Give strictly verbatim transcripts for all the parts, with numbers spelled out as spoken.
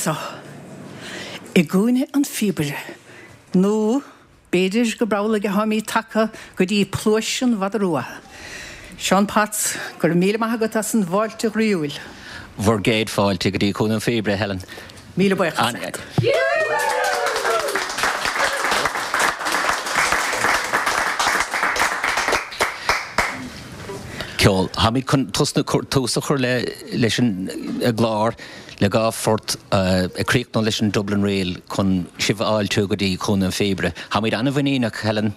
anseo i gCúinne an Phíobaire, nó b'fhéidir gurb amhlaidh atáimid tagtha go dtí Pluais an Mhada Rua. Seán Potts, go raibh míle maith agat as an bhfáilte ghroíúil. Bhur gcéad fáilte go dtí Cúinne an Phíobaire, Helen. Míle buíochas leat. Ceol. Táimid chun tosnú tús a chur leis an gclár le dhá phort ag críochnú leis an Dublin Reel chun sibh a fháiltiú go dtí Cúinne an Phíobaire. Táimid an-mhuiníneach, Helen.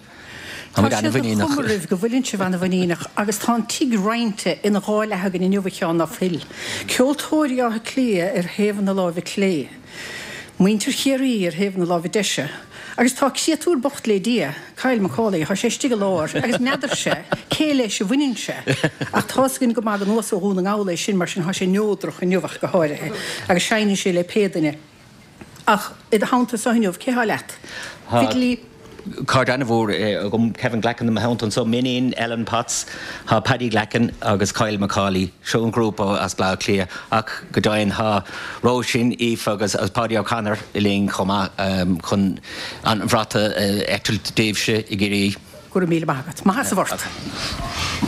Tá sé de chuma oraibh go bhfuileann sibh an-mhuiníneach agus tá an tigh roinnte ina dhá leath againn inniu, a Sheáin, ná fuil? Ceoltóirí Átha Cliath ar thaobh na láimhe clé. Muintir Chiarraí ar thaobh na láimhe deise. Agus tá créatúr bocht le Dia, Kyle Macaulay, tá sé istigh i lár agus n'fheadarse cé leis a bhaineann sé. Ach tá's againn go maith gur anuas ó Dhún na nGall é sin, mar sin tá sé neodrach inniu ach go háirithe, agus seinneann sé le pé duine. Ach i do theannta anseo inniu, cé thá leat? Fidilí? Cairde an-mhór agam, Kevin Glackin i mo theannta anseo, m'iníon Ellen Potts, tá Paddy Glackin agus Kyle Macaulay, seo an grúpa as Baile Átha Cliath, ach go deimhin tá Róisín, Aoife agus Páidí O'Connor linn chomh maith chun an bhrat a eitilt daoibhse i gCiarraí. Go raibh míle maith agat. Maith as an bport.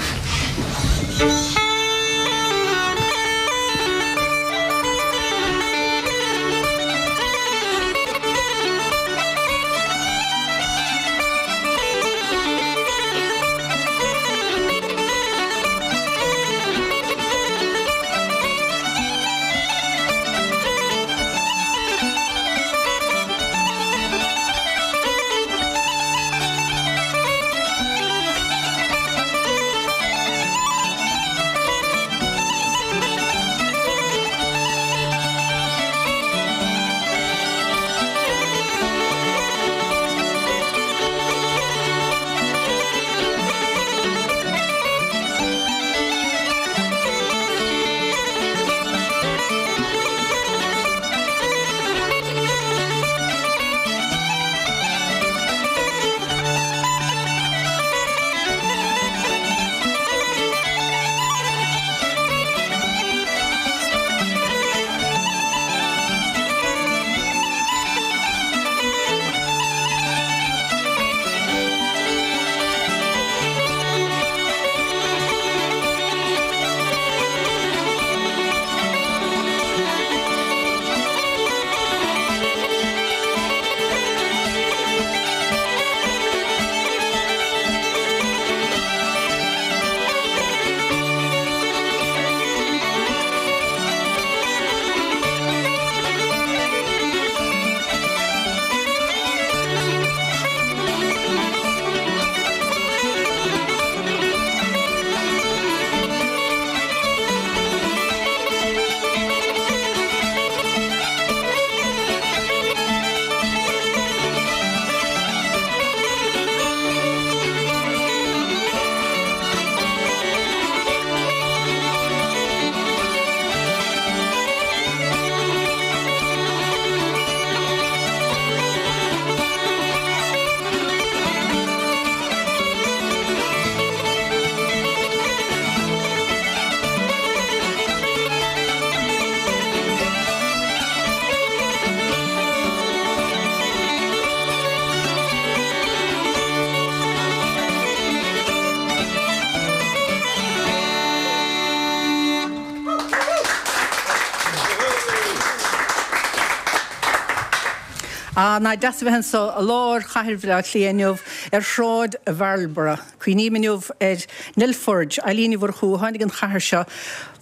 Ah, nach deas a bheith anseo i lár chathair Bhaile Átha Cliath inniu ar Shráid Mharlborough. Cuimhním inniu ar Nell Forde, Eilín Ní Mhurchú, a tháinig an chathair seo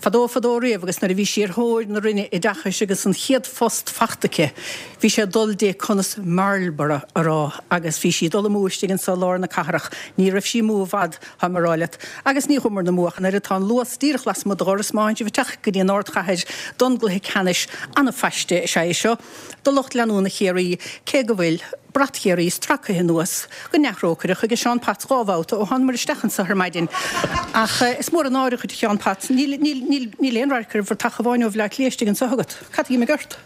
fadó fadó riamh agus nuair a bhí sí ar thóir na Roinne Oideachais agus an chéad phost fachta aici, bhí sé ag dul di conas Marlborough a rá agus bhí sí ag dul amú istigh anseo i lár na cathrach. Ní raibh sí amú i bhfad, tá mé ag rá leat. Agus ní chuamar amú ach an oiread, tá an Luas díreach lasmuigh do dhoras má théann sibh ag teacht go dtí an ardchathair don gcluiche ceannais. An-phaiste is ea é seo do lucht leanúna Chiarraí, cé go bhfuil brat Chiarraí stracaithe anuas go neamhthrócaireach ag Seán Potts dhá bhabhta ó thánamar isteach anseo ar maidin. Ach is mór an náire dhuit, a Sheáin Potts, níl, níl, níl, níl aon radharc ar bhratach amháin ó Bhaile Átha Cliath istigh anseo agat. Cad a d'imigh ort?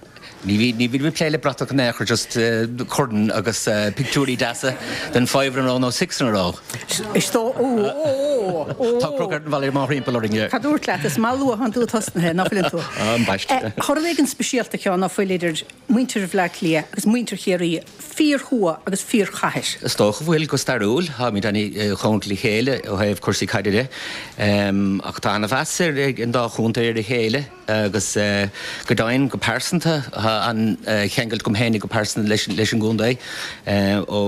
Ní bhí ní bhí plé le bratach in aon chor just uh, corn agus uh, pictiúirí deasa den five in a row nó six in a row. Is tó ó Tá crocard an bhile má rimpa rinne. Cad dúirt leat is má luathan tú tosnaithe ná fuil tú. Ambaist. Tá rud éigin speisialta ceann ná fuil idir muintir Bhaile Átha Cliath agus muintir Chiarraí fíorthuath agus fíorchathair. Is dócha bhfuil go stairiúil táimid an-chóngarach le chéile ó thaobh cúrsaí caide de. ach tá an-mheas ag an dá chontae ar a chéile agus uh, go deimhin go pearsanta an cheangal agam féin go pearsanta leis leis an gcontae ó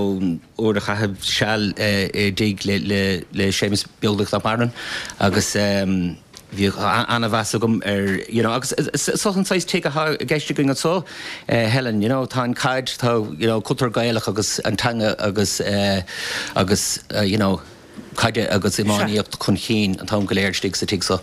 uair a chaitheamh seal i dtigh le le le Séamus Beaglaoich nach maireann agus um, bhí an-mheas agam ar you know, agus so an saghas tigh atá i gceist againn anseo uh, Helen you know, tá an caid tá you know, cultúr Gaelach agus an teanga agus uh, agus uh, you know, caide agus iománaíocht chun cinn an t-am go léir istigh sa tigh so.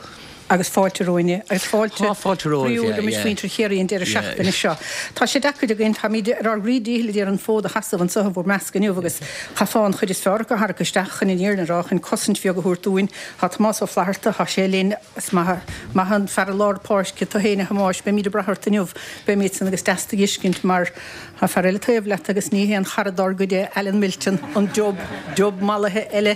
agus fáilte romhainne agus fáilte Tá fáilte romhaibh, yeah, yeah. muintir Chiarraí an deireadh seachtaine seo. Tá sé deacair againn táimid ar ár gcroí díchill ar an fód a sheasamh anseo bhur measc inniu agus chaithfeá an chuid is fearr a tharrac isteach chun an fhírinne a rá chun cosaint bheag a thabhairt dúinn Tá Tomás Ó Flatharta tá sé linn is maith maith an fear lár páirce tú féin a Thomáis beimid ag brath ort inniu beimid san agus deas do fheiscint mar Tá fear eile taobh leat agus ní haon chara dár gcuid é Alan Milton an dub dub mallaithe eile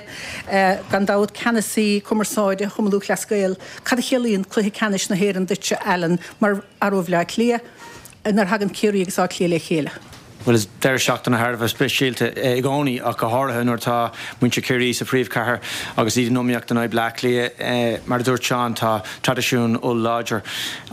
gan dabht ceannasaí cumarsáide Chumann Lúthchleas Gael. Cad a chiallaíonn cluiche ceannais na hÉireann duitse Alan mar fhear ó Bhaile Átha Cliath nuair a thagann Ciarraí agus Áth Cliath le chéile. Well is deireadh seachtaine thar a bheith speisialta i gcónaí ach go háirithe nuair atá muintir Chiarraí sa phríomhchathair agus iad in iomaíocht in aghaidh Bleá Cliath mar a dúirt Seán tá traidisiún oll-láidir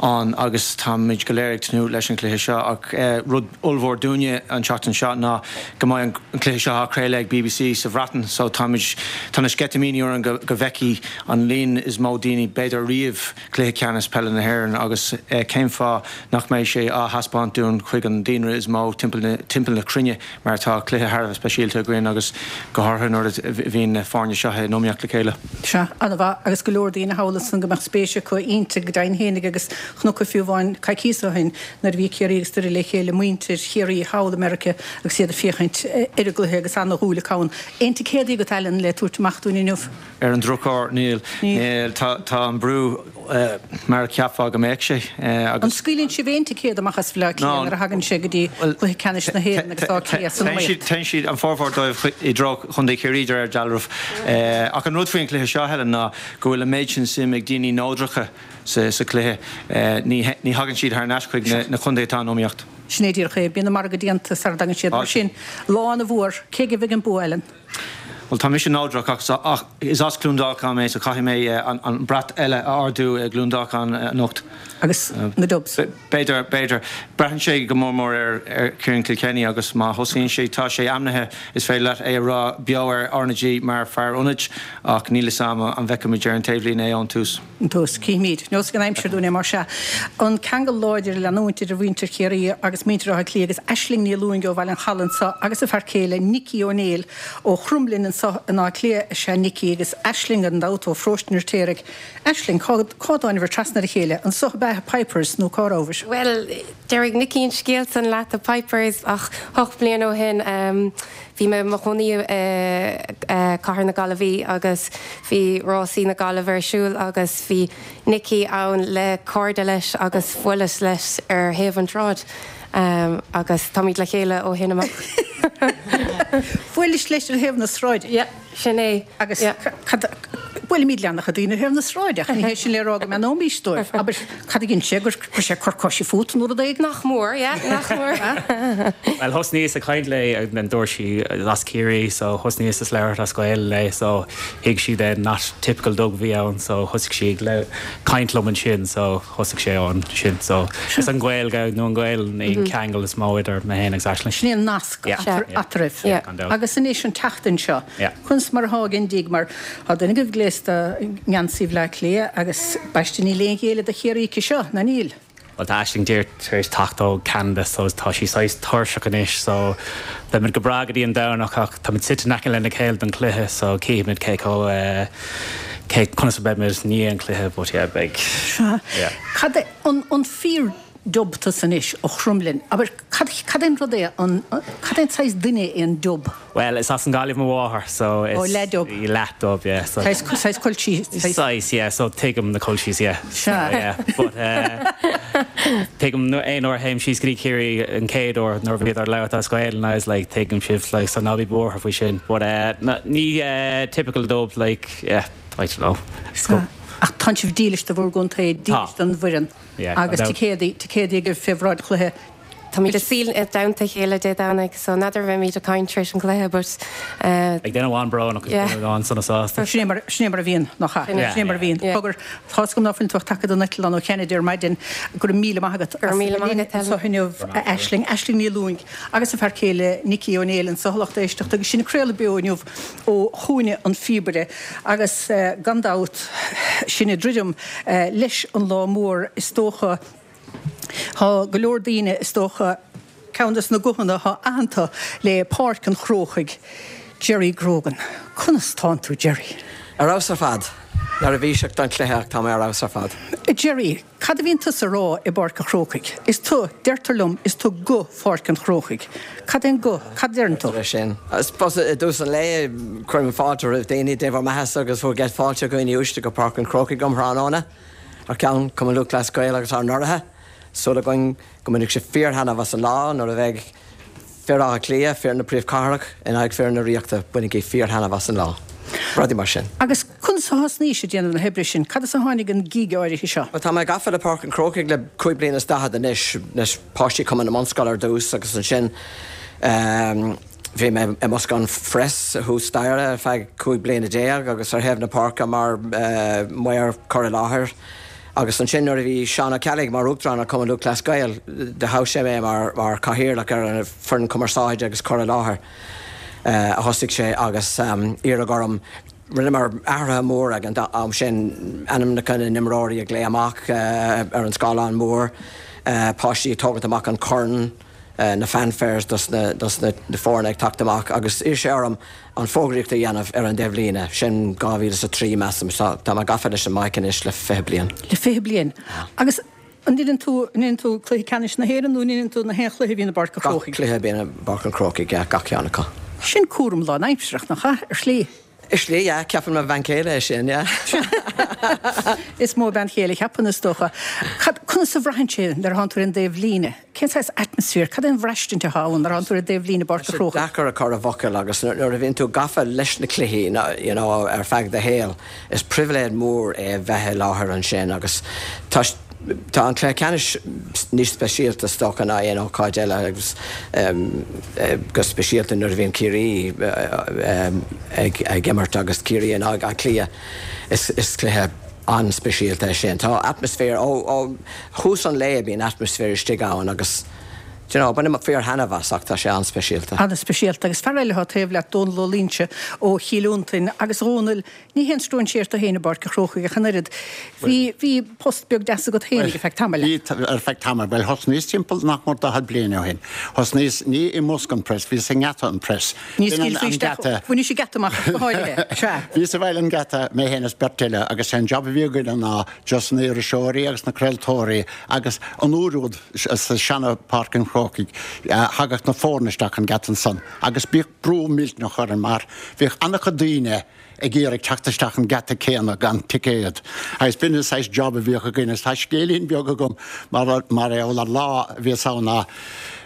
ann agus táimid go léir ag tnúth leis an chluiche seo ach rud ollmhór dúinne an tseachtain seo ná go mbeidh an cluiche seo á chraoladh ag BBC sa Bhreatain so táimid tá na sceitimíní orainn go go bhfeicfidh an líon is mó daoine b'fhéidir riamh cluiche ceannais peile na hÉireann agus cén fáth nach mbeidh sé á thaispeáint dúinn chuig an daonra is mó timpeall na timpeall na cruinne mar tá cluiche thar a bheith speisialta againn agus go háirithe nuair a bhíonn na foirne seo in iomaíocht le chéile. Sea, an-mhaith agus go leor daoine thall ansan go mbeadh spéis acu inti go deimhin fhéinig agus chonac fiú amháin coicíos ó shin nuair a bhí Ciarraí agus Doire le chéile muintir Chiarraí thall i Meiriceá agus iad ag féachaint ar an gcluiche agus ana-dhúil acu ann. Aon ticéadaí agat Alan le tabhairt amach dúinn inniu? Ar an drochuair níl. Níl. Tá tá an brú mar a cheapfá go mbeadh sé agus. An scaoileann sibh aon ticéad amach as Bhaile Átha Cliath nuair a thagann sé go dtí cluiche ceannais na hÉireann agus Áth Cliath san iomaíocht? Téann siad an formhór dóibh i dtreo Chontae Chiarraí de réir dealraimh. Ach an rud faoin chluiche seo, Helen, ná go bhfuil an méid sin suim ag daoine neodracha sa sa chluiche. Ní ní thagann siad thar n-ais chuig na na contaetha atá in iomaíocht. Sin é díreach é. Bíonn an margadh déanta sara dtagann siad. Mar sin, lá ana-mhór, cé agaibh a bheidh an bua, Ellen? Bhuel, tá mise neodrach ach is as Cluain Dolcáin mé so caithfidh mé an brat eile a ardú i gCluain Dolcáin anocht. Agus na Dubs? B'fhéidir, b'fhéidir. Braitheann sé go mór mór ar Ciarán Kilkenny agus má thosaíonn sé, tá sé ainmnithe, is féidir leat é a rá beo ar RnaG mar fear ionaid ach níl 'fhios a'm an bhfeicfimid ar an taobhlíne é ón tús. Ón tús. Cífimid. Neosfaidh an aimsir dúinn é mar sea. An ceangal láidir ag leanúint idir mhuintir Chiarraí agus muintir Átha Cliath agus Aisling Ní Lúing ó Bhaile an Chalaidh anseo agus a fear céile Nicky Ó Néill ó Chromghlinn anseo in Áth Cliath is ea Nicky agus Aisling gan dabht ó Pharóiste an Fheirtéaraigh. Aisling, cá dtánabhair trasna ar a chéile? Anseo ab ea i Pipers nó cá rabhabhair? Bhuel, déarfaidh Nicky an scéal san leat i Pipers ach hocht bliana ó shin bhí mé i mo chónaí i cathair na Gaillimhe agus bhí rásaí na Gaillimhe ar siúl agus bhí Nicky ann le cairde leis agus bhuaileas leis ar thaobh an tsráid agus táimid le chéile ó shin amach. Bhuailis leis ar thaobh na sráide? Yeah, sin é. Agus cad, buailimid le an-chuid daoine ar thaobh na sráide ach ní hé sin le rá go mbeannóimís dóibh. Abair, cad a dhein sé, gur chuir sé cor coise fút nó rud éigin? Nach mór, yeah, nach mór. Bhuel, thosnaíos ag caint léi and then dúirt sí as Ciarraí so thosnaíos ag labhairt as Gaeilge léi so thuig sí then not typical Dub a bhí ann so thosaigh sí ag caint liom ansin so thosaigh sé ansin so is an Ghaeilge nó an Ghaelainn an ceangal is mó idir mé féin agus Aisling. Sin é an nasc eatarthu. Agus anois an tseachtain seo, conas mar atá ag Indiaigh mar tá duine agaibh gléasta i ngeansaí Bhaile Átha Cliath agus b'aisteach níl aon ghéilleadh do Chiarraí aici seo, ná níl? Bhuel tá Aisling díreach tar éis teacht ó Ceanada so tá sí saghas tuirseach anois so beimid go breá go dtí an Domhnach ach táimid suite in aice lena chéile don chluiche so cífimid cé chomh eh, cé conas a beimid i ndiaidh an chluiche but yeah beidh Sea. yeah. Cad é an an fíor Dub tusa anois ó Chromghlinn. Abair, cad cad é an rud é an cad é an saghas duine é an Dub? Well, is as an Gaillimh mo mháthair, so it's Oh, leath-Dub. Leath-Dub, yeah. So Saghas saghas culchies. Saghas, yeah, so tuigim na culchies, yeah. Sea. Yeah, but uh, tuigim aon uair a théim síos go dtí Ciarraí an chéad uair nuair a bhíodar ag labhairt as Gaeilge and I was like tuigim sibh like so ná bí buartha faoi sin. But uh, ní uh, typical Dub like yeah, I don't know. Sea. Ach tá sibh dílis do bhur gcontae, dílis Tá. don bhfoireann. Yeah, Agus gan dabht. ticéadaí ticéadaí agaibh fé bhráid chluiche. Táimid ag suí i dteannta a chéile Dé Domhnaigh, so n'fheadar bheimid ag caint tar éis an chluiche, but uh, Like duine amháin brónach agus Yeah. duine amháin sona sásta. Sin é mar sin é mar a bhíonn nach ea? Sin é. Sin é mar a bhíonn. Yeah. Cogar tá a fhios agam ná fuil tú ach tagtha den eitleán ó Kennedy ar maidin go raibh míle maith agat. Go raibh míle maith agat, Anseo inniu Aisling, Aisling Ní Lúing agus a fear céile Nicky Ó Néill anseo lucht éisteachta agus sinn ag craoladh beo inniu ó Chúinne an Phíobaire agus eh, gan dabht sinn ag druidim eh, leis an lá mór is dócha Tá go leor daoine is dócha ceann des na guthanna atá aitheanta le Páirc an Chrócaigh, Jerry Grogan. Conas tánn tú Jerry? Ar fheabhas ar fad. Neirbhíseach don chluiche ach tá mé ar fheabhas ar fad. Jerry, cad a bhíonn tusa a rá i bPáirc an Chrócaigh? Is tú, deirtear liom, is tú guth Pháirc an Chrócaigh. Cad é an guth? Cad deireann tú? É sin. I suppose i dtús an lae cuirim fáilte roimh daoine dé bhur mbeatha agus bhur gcéad fáilte dhaoine uaisle go Páirc an Chrócaigh um thráthnóna. Ar ceann Cumann Lúthchleas Gael agus ár n-urraithe. Súil againn go mbainfidh sibh fíorthaitneamh as an lá nuair a bheidh fir Átha Cliath, fir na príomhchathrach in aghaidh fir na Ríochta bainigí fíorthaitneamh as an lá. Rudaí mar sin. Agus conas a thosnaís ag déanamh na hoibre sin, cad as a tháinig an gig áirithe seo? Well, tá mé gafa le Páirc an Chrócaigh le cúig bliana is daichead anois leis páistí Cumann na mBunscol ar dtús agus ansin um, bhí mé i mbosca an phreas thuas staighre ar feadh cúig bliana déag agus ar thaobh na páirce mar uh, maor cur i láthair. Agus ansin nuair a bhí Seán Ó Ceallaigh mar uachtarán ar Cumann Lúthchleas Gael do thogh sé mé mar mar cathaoirleach ar an foireann cumarsáide agus cur i láthair. Uh, a thosaigh sé agus um, iarradh orm rinneamar athruithe mór ag an am sin ainmneacha na n-imreoirí a ghlaoch amach uh, ar an scáileán mór, uh, páistí ag tógaint amach an corn, uh, na fanfares dos na, dos na, na foirne ag teacht amach agus d'iarr sé orm an fógraíocht a dhéanamh ar an dtaobhlíne sin dhá mhíle is a trí measaim tá mé gafa leis an mic anois le fiche bliain. Le fiche bliain. Agus an ndéanann tú an ndéanann tú cluiche ceannais na hÉireann nó an ndéanann tú na haon chluiche a bhíonn i bPáirc an Gach Chrócaigh? cluiche a bhíonn i bPáirc an Chrócaigh gach ceann acu. Sin cúram lánaimsearach nach ea ar shlí. Ar shlí yeah, ceapann mo bhean chéile é sin yeah. Is mó bean chéile a cheapann is dócha. Cad conas a bhraitheann sé nuair atánn tú ar an dtaobhlíne? Cén saghas atmaisféar, cad é an bhraistint atá ann nuair atánn tú ar an dtaobhlíne i bPáirc an Chrócaigh? Deacair a chur i bhfocail agus nuair a bhíonn tú gafa leis na cluichí you know, ar feadh do shaoil, is pribhléid mór é bheith i láthair ansin agus tá Tá an cluiche ceannais níos speisialta is dócha ná aon ócáid eile agus um, go speisialta nuair a bhíonn Ciarraí um, ag, ag imirt agus Ciarraí in aghaidh Átha Cliath is, is cluiche an-speisialta é sin. Tá atmaisféar ó, ó thús an lae bíonn atmaisféar istigh ann agus you know, bainim fíorthaitneamh as ach tá sé an-speisialta. An-speisialta agus fear eile atá taobh leat Dónal Ó Loingsigh ó Chill Fhionntain agus Dhónal ní haon stróinséir tú féin i bPáirc an Chrócaigh ach an oiread. Bhí bhí post beag deas agat féin ar feadh tamaill. Bhí ar feadh tamaill, well thosnaíos timpeall nach mór daichead bliain ó shin. Thosnaíos ní i mbosca an phreas, bhíos i ngeata an phreas. Ní B'in an- scaoilfí an isteach geata. bhain sí geata amach go háirithe. Sea. Bhíos i bhfeighil an gheata mé féin is beirt eile agus an job a bhí againn ná just na iriseoirí agus na craoltóirí agus an uair úd sa seana Páirc an Chrócaigh thagadh na foirne isteach an geata ansan agus bhíodh brú millteanach orainn mar bhíodh an-chuid daoine ag iarraidh teacht isteach an geata céanna gan ticéad. Agus b'in an saghas job a bhíodh againn is tá scéilín beag agam mar mar é ar lá a bhíos ann ná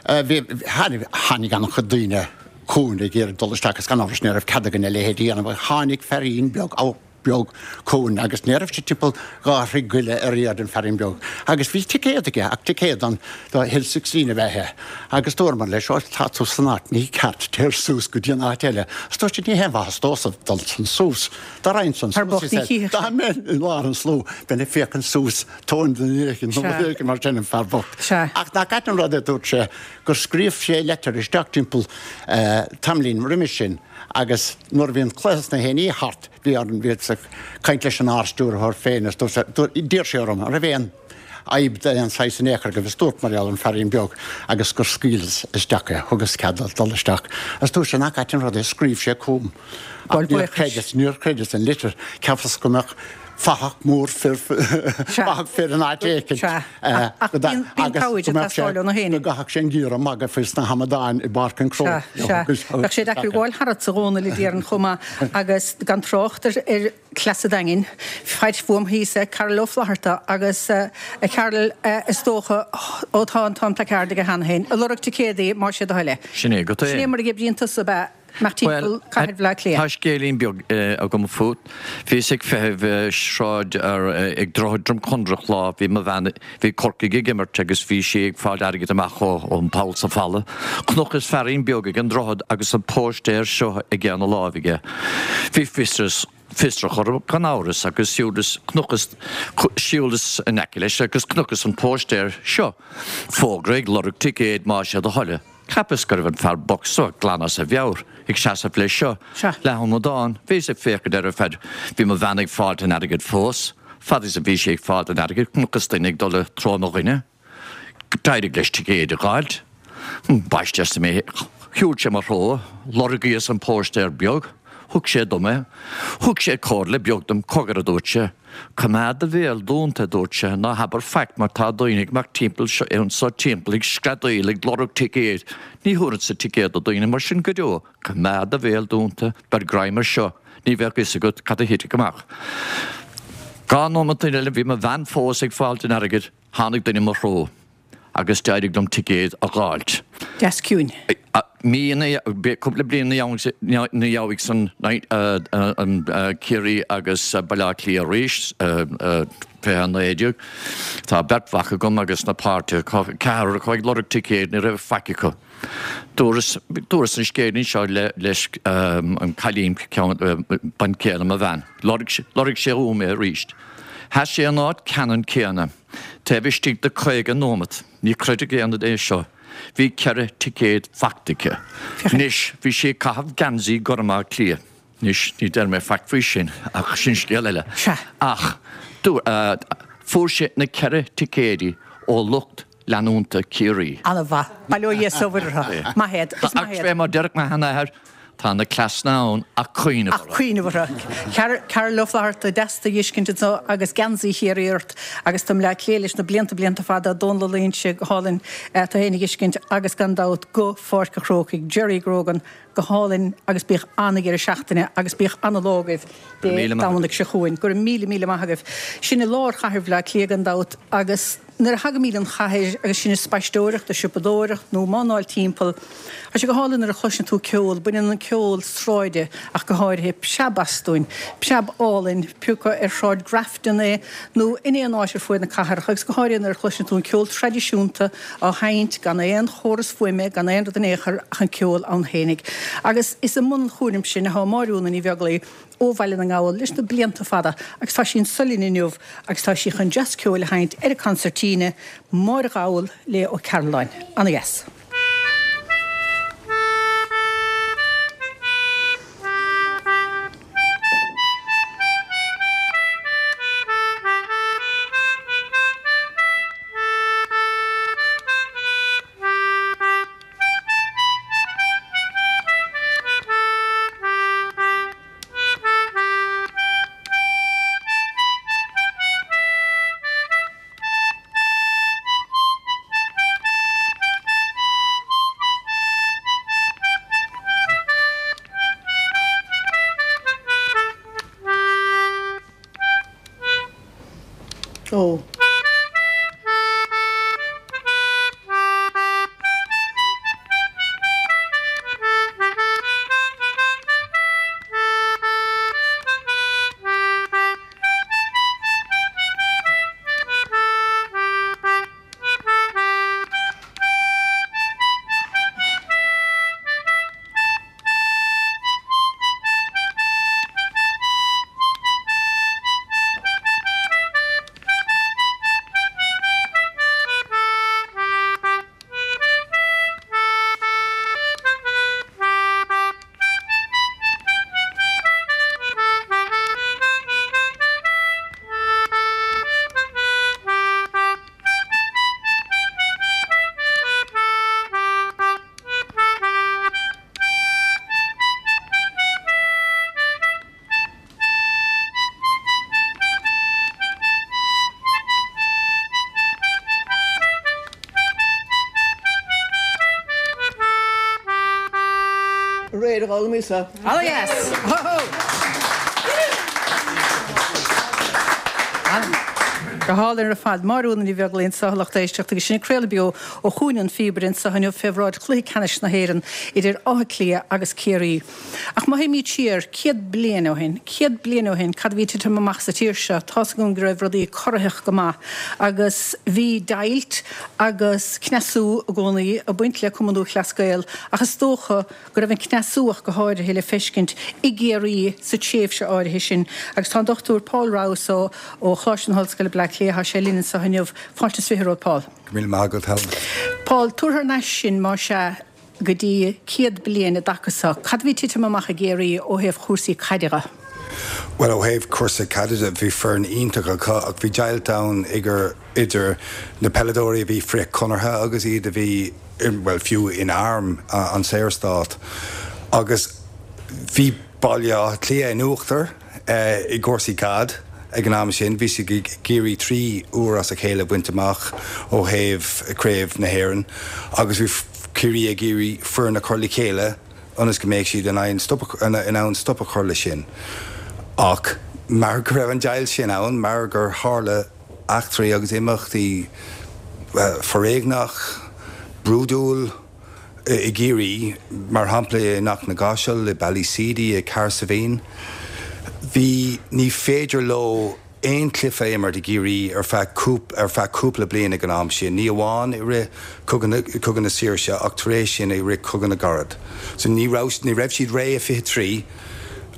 tháinig tháinig an-chuid daoine chugainn ag iarraidh dul isteach agus gan amhras ní raibh cead againn a leithéid a dhéanamh tháinig fearín beag á beag chugainn agus ní raibh sé timpeall dhá throigh go leith ar airde an fearín beag. Agus bhí ticéad aige ach ticéad an do Hill Sixteen a bheith é. Agus dúramar leis ó tá tú san áit ní ceart téir suas go dtí an áit eile. Agus dúirt sé ní haon mhaitheas domhsa dul san suas. Dá raghainn san Thar suas, bocht he ní said, chífeadh Dá sé. mbeinn i lár an slua, bheinn ag féachaint suas tóin den fhírinne nó Sea. rud éigin mar sin an fear bocht. Sea. Ach nach ait an rud é dúirt sé gur scríobh sé leitir isteach timpeall eh, tamaillín roimis sin agus nuair a bhí an cluiche sna haon thart bhí an bhí ag caint leis an ardstiúrthóir féin is dúirt sé- dúirt- d'iarr sé orm an raibh aon fhadhb d'aon saghas in aon chor agus dúirt mar gheall ar an fearín beag agus gur scaoileadh isteach é thugas cead dul isteach. Agus dúirt sé nach ait an rud é scríobh sé chugam. Bhuel, Ach níor buíochas. chreideas níor chreideas an litir cheapas go mbeadh Fathach mór fir fathach fir in áit éicint. Sea. Ach bíonn cabhair ag teastáil ó na héinne. Go gcaithfeadh sé an giorra magaidh faoi sna hamadáin i bPáirc an Chrócaigh. Sea, sea. Bheadh sé deacair gabháil tharat sa Dhomhnall a déarfainn chomh maith agus gan trácht ar ar Chleas an Daingin. Faid fuaim thíos é Carol Ó Flatharta agus a Charol is dócha ó tá an t-am placard aige cheana féin. Ag lorg ticéadaí más é do thoil é. Sin é go Sin é mar a oibríonn tusa ab ea? Imeacht timpeall cathair Bhaile Átha Cliath. Tá scéilín beag agam fút. Bhíos ag feitheamh sráid ar ag Droichead Dromcondrach lá, bhí mo bhean, bhí Corcaigh ag imirt agus bhí sí ag fáil airgid amach ó ón poll sa bhfalla. Chonacthas feairín beag ag an droichead agus an póistéir seo aige ina láimh aige. Bhí fiosras fiosrach orm gan amhras agus shiúlas, chonacthas, shiúlas in aice leis agus chonacthas an póistéir seo. Fógra ag lorg ticéid más é do thoil. Cheapas go raibh an fear bocht seo glan as a mheabhair, ag seasamh leis seo, le hamadán. Bhíos ag féachaint air ar feadh. Bhí mo bhean ag fáilt an airgid fós. Fad is a bhí sí ag fáilt an airgid, chonacthas duine ag dul i dtreo mo dhuine. D'éirigh leis ticéid a dh'fháilt. Ambaiste arsa mé. Shiúil sé mo threo. Lorgaíos an póistéir beag. Thug sé dom é. Thug sé comhairle beag dom, cogar, a dúirt sé. Coimeád do bhéal dúnta, a dúirt sé, ná habair faic mar tá daoine ag imeacht timpeall anso timpeall ag screadaíl ag lorg ticéid. Ní thabharfadsa ticéad do dhaoine mar sin go deo. Coimeád do bhéal dúnta, beir greim ar seo, ní bheadh fhios agat cad a thitfeadh amach. Dhá nóimeat eile bhí mo bhean fós ag fáilt an airgid, tháinig duine mo threo. agus d'éirigh liom ticéad a dh'fháilt. Deas ciúin. Mí ina, cúpla bliain ina dhiaidh san Ciarraí agus Baile Átha Cliath arís, fiche a naoi déag. Tá beirt mhac agam agus na páirtithe acu, ceathrar acu ag lorg ticéid, ní raibh faic acu. Dúras, dúras an scéilín seo le, leis an cailín, ceann, bean chéile mo bhean. Lorg, lorg sé uaim é arís. Sheas sé in áit ceannann céanna. Taobh istigh de caoga nóimeat, ní chreidfeadh aon duine é seo, bhí ceithre ticéad faighte aici. Anois, bhí sí ag caitheamh geansaí gorm Átha Cliath. Anois, ní deir mé faic faoi sin, ach sin scéal eile. Ach, fuair sé na ceithre ticéidí ó lucht leanúnta Ciarraí. An-mhaith. Bail ó Dhia is ó Mhuire orthu. Maith iad. Is maith iad. Ach fé mar déarfadh mo sheanathair, Tá na cleasanna ann ach cuimhneamh orthu. Ach cuimhneamh orthu. Carol Ó Flatharta, deas tú a dh'fheiscint anso agus geansaí Chiarraí ort agus tú i mBleá Cliath leis na blianta blianta fada, Dónal Ó Loingsigh, go hálainn tú féin a dh'fheiscint agus gan dabht go Pháirc a' Chrócaigh, Jerry Grogan, go hálainn agus bíodh an-dheireadh seachtaine agus bíodh an-lá agaibh Dé Domhnaigh seo chugainn. Go raibh míle míle maith agaibh. Sin i lár chathair Bhleá Cliath gan dabht agus. Nuair a thagaimid an chathair agus sinn ag spaisteoireacht, ag siopadóireacht nó ag mánáil timpeall, tá sé go hálainn nuair a chloiseann tú ceol, baineann an ceol sráide ach go háirithe preab astúinn, preab álainn, pé acu ar Shráid Grafton é nó in aon áit ar fuaid na cathrach agus go háirithe nuair a chloiseann tú an ceol traidisiúnta á sheinnt gan aon chóras fuaime, gan aon rud in aon chor ach an ceol ann fhéinig. Agus is i mbun an chúraim sin atá Máire Úna Ní Bheaglaoi, ó Bhaile na nGall leis na blianta fada agus tá sí anso linn inniu agus tá sí chun deas ceoil a sheinnt ar an concertina, Máire Ghall le Ó Cearúlláin. Ana dheas. Réidh a dhul mise. Oh yes! Ho ho! Go hálainn ar fad. Máire Úna Ní Bheaglaoich anseo, a lucht éisteachta, agus sinn ag craoladh beo ó Chúinne an Phíobaire anseo inniu fé bhráid chluiche ceannais na hÉireann idir Áth Cliath agus Ciarraí. Ach má théimid siar céad bliain ó shin, céad bliain ó shin, cad a bhí ag titim amach sa tír seo? Tá's agam go raibh rudaí corraitheach go maith agus bhí deighilt agus cneasú i gcónaí ag baint le Cumann Lúthchleas Gael ach is dócha go raibh an cneasú ach go háirithe le feiscint i gCiarraí sa tréimhse áirithe sin. Agus tá an Dochtúir Paul Rouse ó ó Choláiste na hOllscoile Bleá Cliath, tá sé linn anseo inniu. Fáilte is fiche romhat, Paul. Go míle maith agat, Helen. Paul, tabhair thar n-ais sinn, más ea, go dtí céad bliain i dtaca so. Cad a bhí ag titim amach i gCiarraí ó thaobh chúrsaí caide dhe? Bhuel, ó thaobh cúrsaí caide de, bhí foireann iontach acu ach bhí deighilt ann idir na peileadóirí a bhí frith-Chonartha agus iad a bhí, bhuel, fiú in arm an Saorstát. Agus bhí Baile Átha Cliath in uachtar i gcúrsaí caide ag an am sin. Bhí siad ag iarraidh trí uair as a chéile a bhaint amach ó thaobh Craobh na hÉireann agus bhí Ciarraí ag iarraidh foireann a chur le chéile ionas go mbeadh siad in ann stop a chur leis sin. Ach mar go raibh an deighilt sin ann, mar gur tharla eachtraí agus imeachtaí foréigneach, brúidiúil i gCiarraí, mar shampla i nDoc na gCaiseal, i Ballyseedy, i Cahersiveen, bhí, ní féidir leo aon chluiche a imirt i gCiarraí ar feadh ar feadh cúpla bliain ag an am sin, ní amháin i rith Cogadh na Cogadh na Saoirse ach tar éis sin i rith Cogadh na gCarad. So ní raibh ní raibh siad réidh i fiche trí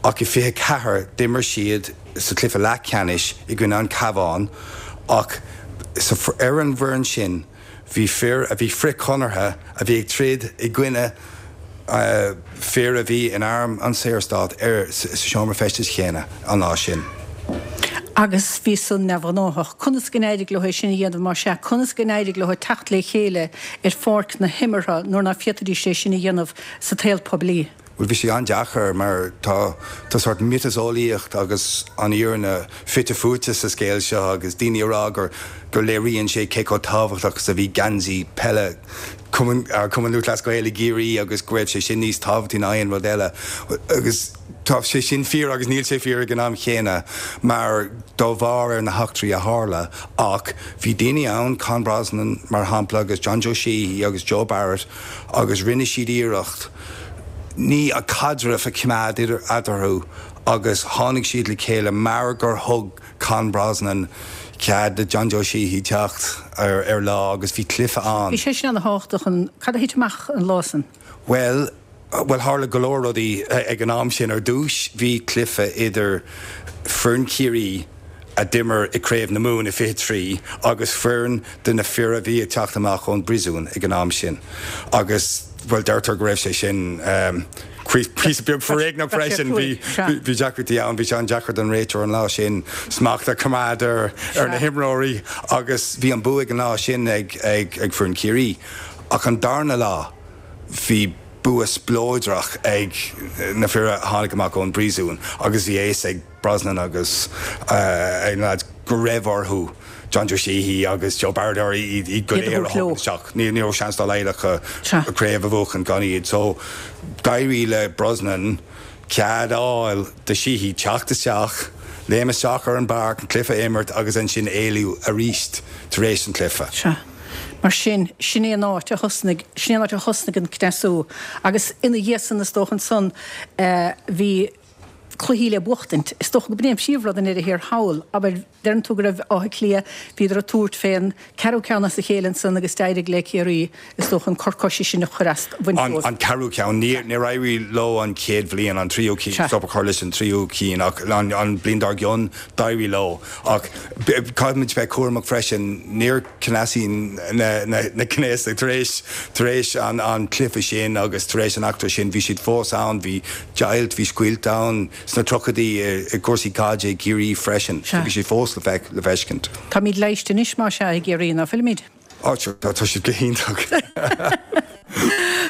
ach i fiche ceathair d'imir siad sa chluiche leathcheannais i gcoinne an Cabhán ach sa ar an bhfoireann sin bhí fir a bhí frith-Chonartha a bhí ag troid i gcoinne fir a bhí in arm an Saorstát ar sa seomra feistis chéanna an lá sin. Agus bhí san neamhghnáthach. Conas go n-éirigh leo é sin a dhéanamh más ea? Conas go n-éirigh leo teacht le chéile ar pháirc na himeartha nuair ná féadfaidís é sin a dhéanamh sa tsaol poiblí? Bhuel, bhí sé an-deacair mar tá tá sórt miotaseolaíocht agus an fhírinne fite fuaite sa scéal seo agus daoine ag rá gur gur léiríonn sé cé chomh tábhachtach is a bhí geansaí peile Cumann Cumann Lúthchleas Gael i gCiarraí agus go raibh sé sin níos tábhachtaí ná aon rud eile agus tá sé sin fíor agus níl sé fíor ag an am chéanna mar dá bharr ar na heachtraí a tharla ach bhí daoine ann, Con Brosnan mar shampla agus John Joe Sheehy agus Joe Barrett agus rinne siad iarracht ní an caidreamh a choimeád idir eatarthu agus tháinig siad le chéile mar gur thug Con Brosnan cead do John Joe Sheehy teacht ar ar lá agus bhí cluiche ann. Bhí sé sin ana-thábhachtach an cad a thit amach an lá san? Bhuel, bhuel tharla go leor rudaí ag an am sin. Ar dtús bhí cluiche idir foireann Chiarraí a d'imir i Craobh na Mumhan i fiche trí agus foireann de na fir a bhí ag teacht amach ón bpríosún ag an am sin agus, bhuel, deirtear go raibh sé sin píosa beag foréigneach freisin. Bhí bhí deacrachtaí ann, bhí sé an-deacair don réiteoir an lá sin smacht a choimeád ar ar na himreoirí agus bhí an bua ag an lá sin ag ag ag foireann Chiarraí. Ach an darna lá bhí bua spleodrach ag na fir a tháinig amach ón bpríosún agus bhí a fhios ag Brosnan agus na lads go raibh orthu John Joe Sheehy agus Joe Barrett iad iad go léir a thabhairt isteach. Ní raibh seans dá laghad acu craobh a bhuachan gan iad. So d'éirigh le Brosnan cead a fháil do Sheehy teacht isteach, léim isteach ar an bpáirc, an cluiche a imirt agus ansin éalú arís tar éis an chluiche. Sea. Mar sin, sin é an áit a thosnaigh, sin é an áit a thosnaigh an cneasú. Agus ina dhiaidh san, is dócha ansan, bhí cluichí le buachtaint. Is dócha go b'in é an príomhrud i ndeireadh thiar thall. Abair, deireann tú go raibh Áth Cliath, bhíodar ag tabhairt fén ceathrú ceann as a chéile ansan agus d'éirigh le Ciarraí, is dócha, an cor coise sin a chur as, a bhaint dóibh. An ceathrú ceann. Níor éirigh leo an chéad bhliain, an tríú cinn, stop a chur leis an tríú cinn ach an bhliain dár gcionn, d'éirigh leo. Ach caithfimid bheith cúramach freisin, níor cneasaíodh na cnéasaigh tar éis tar éis an chluiche sin agus tar éis an eachtra sin, bhí siad fós ann, bhí deighilt, bhí scoilt ann sna tríochaidí i gcúrsaí caide i gCiarraí freisin, so bhí sé fós le feiscint. Táimid leighiste anois, más ea, i gCiarraí, ná fuilimid? Á, tá siad go hiontach.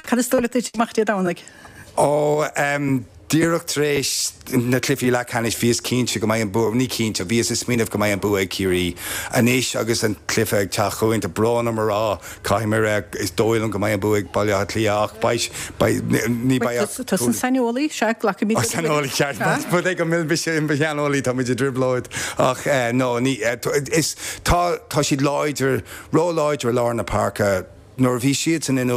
Cad is dóigh leat a thitfidh amach Dé Domhnaigh? Ó, Díreach tar éis na cluichí leathcheannais bhíos cinnte go mbeidh an bua, ní cinnte, bhíos ag smaoineamh go mbeidh an bua ag Ciarraí. Anois agus an cluiche ag teacht chugainn, tá brón orm a rá, caithfidh mé a rá, is dóigh liom go mbeidh an bua ag Baile Átha Cliath ach beidh, beidh, ní beidh ach Tusa an saineolaí, sea, glacfaimid leat. Saineolaí ceart, más rud é go bhfuil mise i mo shaineolaí, tá muid i dtrioblóid ach no, ní, is, tá, tá siad láidir, ró-láidir i lár na páirce. Nuair a bhí siadsan in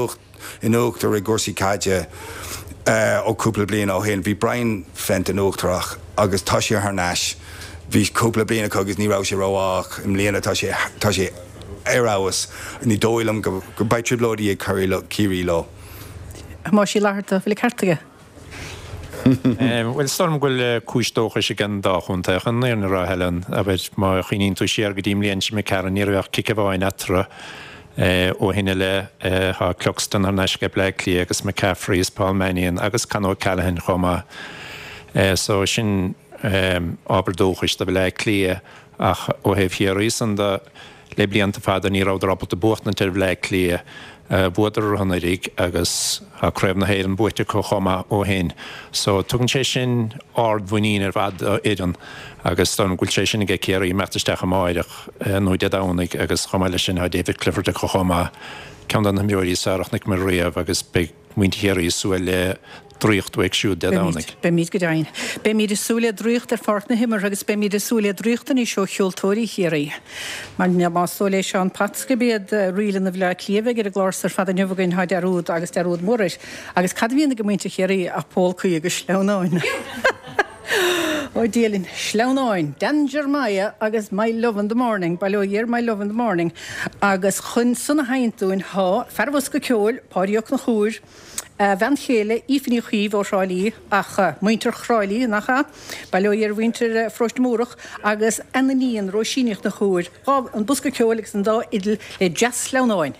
in uachtar i gcúrsaí caide ó cúpla bliain ó shin, bhí Brian Fenton uachtarach agus tá sé thar n-ais. Bhí cúpla bliain acu agus ní raibh sé rómhaith ach i mbliana tá sé tá sé ar fheabhas. Ní dóigh liom go go beidh trioblóidí ag Ciarraí leo. Thomáis Uí Fhlatharta, bhfuil an ceart aige? Bhuel, is dóigh liom go bhfuil cúis dóchais ag an dá chontae chun an fhírinne a rá, Helen. Abair, má chuimhníonn tú siar go dtí an mbliain seo imigh tharainn, ní raibh ach cic amháin eatarthu. Ó shin i leith, tá Cluxton thar n-ais ag Bleá Cliath agus McCaffrey is Paul Mannion agus Con O'Callaghan chomh maith. So sin ábhar dóchais do Bhleá Cliath ach ó thaobh Chiarraí san de, le blianta fada ní rabhadar ábalta buachtaint ar Bhleá Cliath. Bhuadar orthu anuraidh agus tá Craobh na hÉireann buaite acu chomh maith ó shin. So tugann sé sin ard-mhuinín ar fad do fhoireann agus dóigh liom go bhfuil sé sin aige Ciarraí imeacht isteach amáireach nó Dé Domhnaigh agus chomh maith leis sin tá David Clifford acu chomh maith, ceann de na himreoirí is fearr a chonaic mé riamh agus beidh muintir Chiarraí ag súil le draíocht uaidh siúd Dé Domhnaigh. Beimid go deimhin. Beimid ag súil le draíocht ar pháirc na himeartha agus beimid ag súil le draíocht anois ó cheoltóirí Chiarraí. Mar más dóigh le Seán Potts gurb iad ríleanna Bhaile Átha Cliath a bheidh ar an gclár ar fad inniu againn, tá dearúd agus dearúd mór air. Agus cad a bhíonn ag muintir Chiarraí ach pólcaí agus sleamhnáin. Ó Dia linn, sleamhnáin, Dan Jeremiah agus My Love in the Morning, bail ó Dhia ar My Love in the Morning, agus chun san a sheinnt dúinn thá fear an bhosca ceoil, Páidí Ó Conchúir, a bhean chéile, Aoife Ní Chaoimh ó Thrá Lí, ach muintir Thrá Lí, nach ea? Bail ó Dhia ar mhuintir Pharóiste Múrach, agus a n-iníon, Róisín Ní Chonchúir, dhá, an bosca ceoil agus an dá fhidil le dea-sleamhnáin.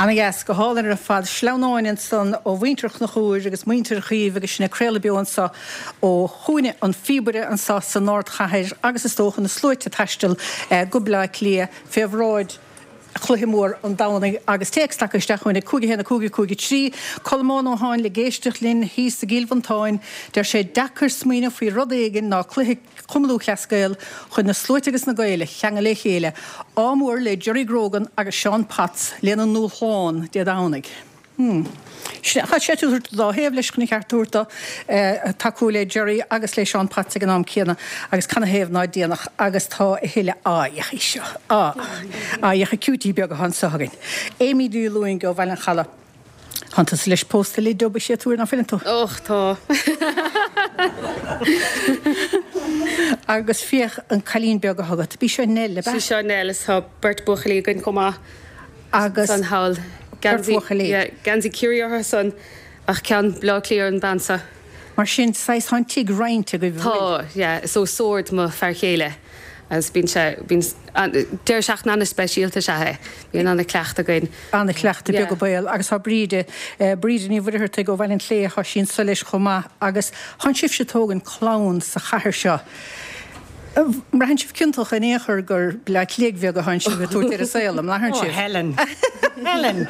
Ana-dheas, go hálainn ar fad. Sleamhnáin ansan ó mhuintir Chonchúir agus muintir Chaoimh agus sinn ag craoladh beo anso ó Chúinne an Phíobaire anso san ardchathair agus is dócha na sluaite ag taisteal go Bleá Cliath fé bhráid chluiche mór an Domhnaigh agus téacs tagtha isteach chugainn ag cúig a haon a cúig a cúig a trí. Colmán Ó hÁinle ag éisteacht linn thíos i gCill Mhantáin, deir sé deacair smaoineamh faoi rud éigin ná cluiche Chumann Lúthchleas Gael chun na sluaite agus na Gaeil a cheangal le chéile. Ádh mór le Jerry Grogan agus Seán Potts lena ndúshlán Dé Domhnaigh. Hmm. Tá sé ag tabhairt dá thaobh leis chun a cheart a thabhairt dó, tacú le Jerry agus le Seán Potts ag an am céanna agus canathaobh ná déanfadh agus tá a thuilleadh aghaidheacha seo. Á, aghaidheacha cutie beaga atá anseo againn. Amy Ní Lúing ó Bhaile an Chalaidh. Tánn tusa leis pósta le Dub a séatúir ná fuileann tú? Och, tá. Agus féach an cailín beag atá agat. B'í seo Nell, ab ea? Sí seo Nell is tá beirt buachaillí againn chomh maith. Agus. San thall. Beirt bhuachaillí. Yeah, geansaí Ciarraí orthu san ach ceann Bleá Cliath ar an bean seo. Mar sin, saghas, tá an tigh roinnte agaibh, an bhfuil? Tá, yeah. Is ó Sord mo fear chéile agus bíonn sé, bíonn, deireadh seachtaine an-speisialta is ea é. Bíonn an-chleachtadh againn. An-chleachtadh, beag an baol. Agus tá Bríde, Bríde Ní Mhuircheartaigh ó Bhaile an tSléibhe, tá sí anso leis chomh maith agus tánn sibhse ag tógaint clann sa chathair seo. An mbraitheann sibh ciontach in aon chor gur Bleá Cliathaigh bheaga atánn sibh ag tabhairt ar an saol, an mbraitheann Oh sibh? Helen. Helen.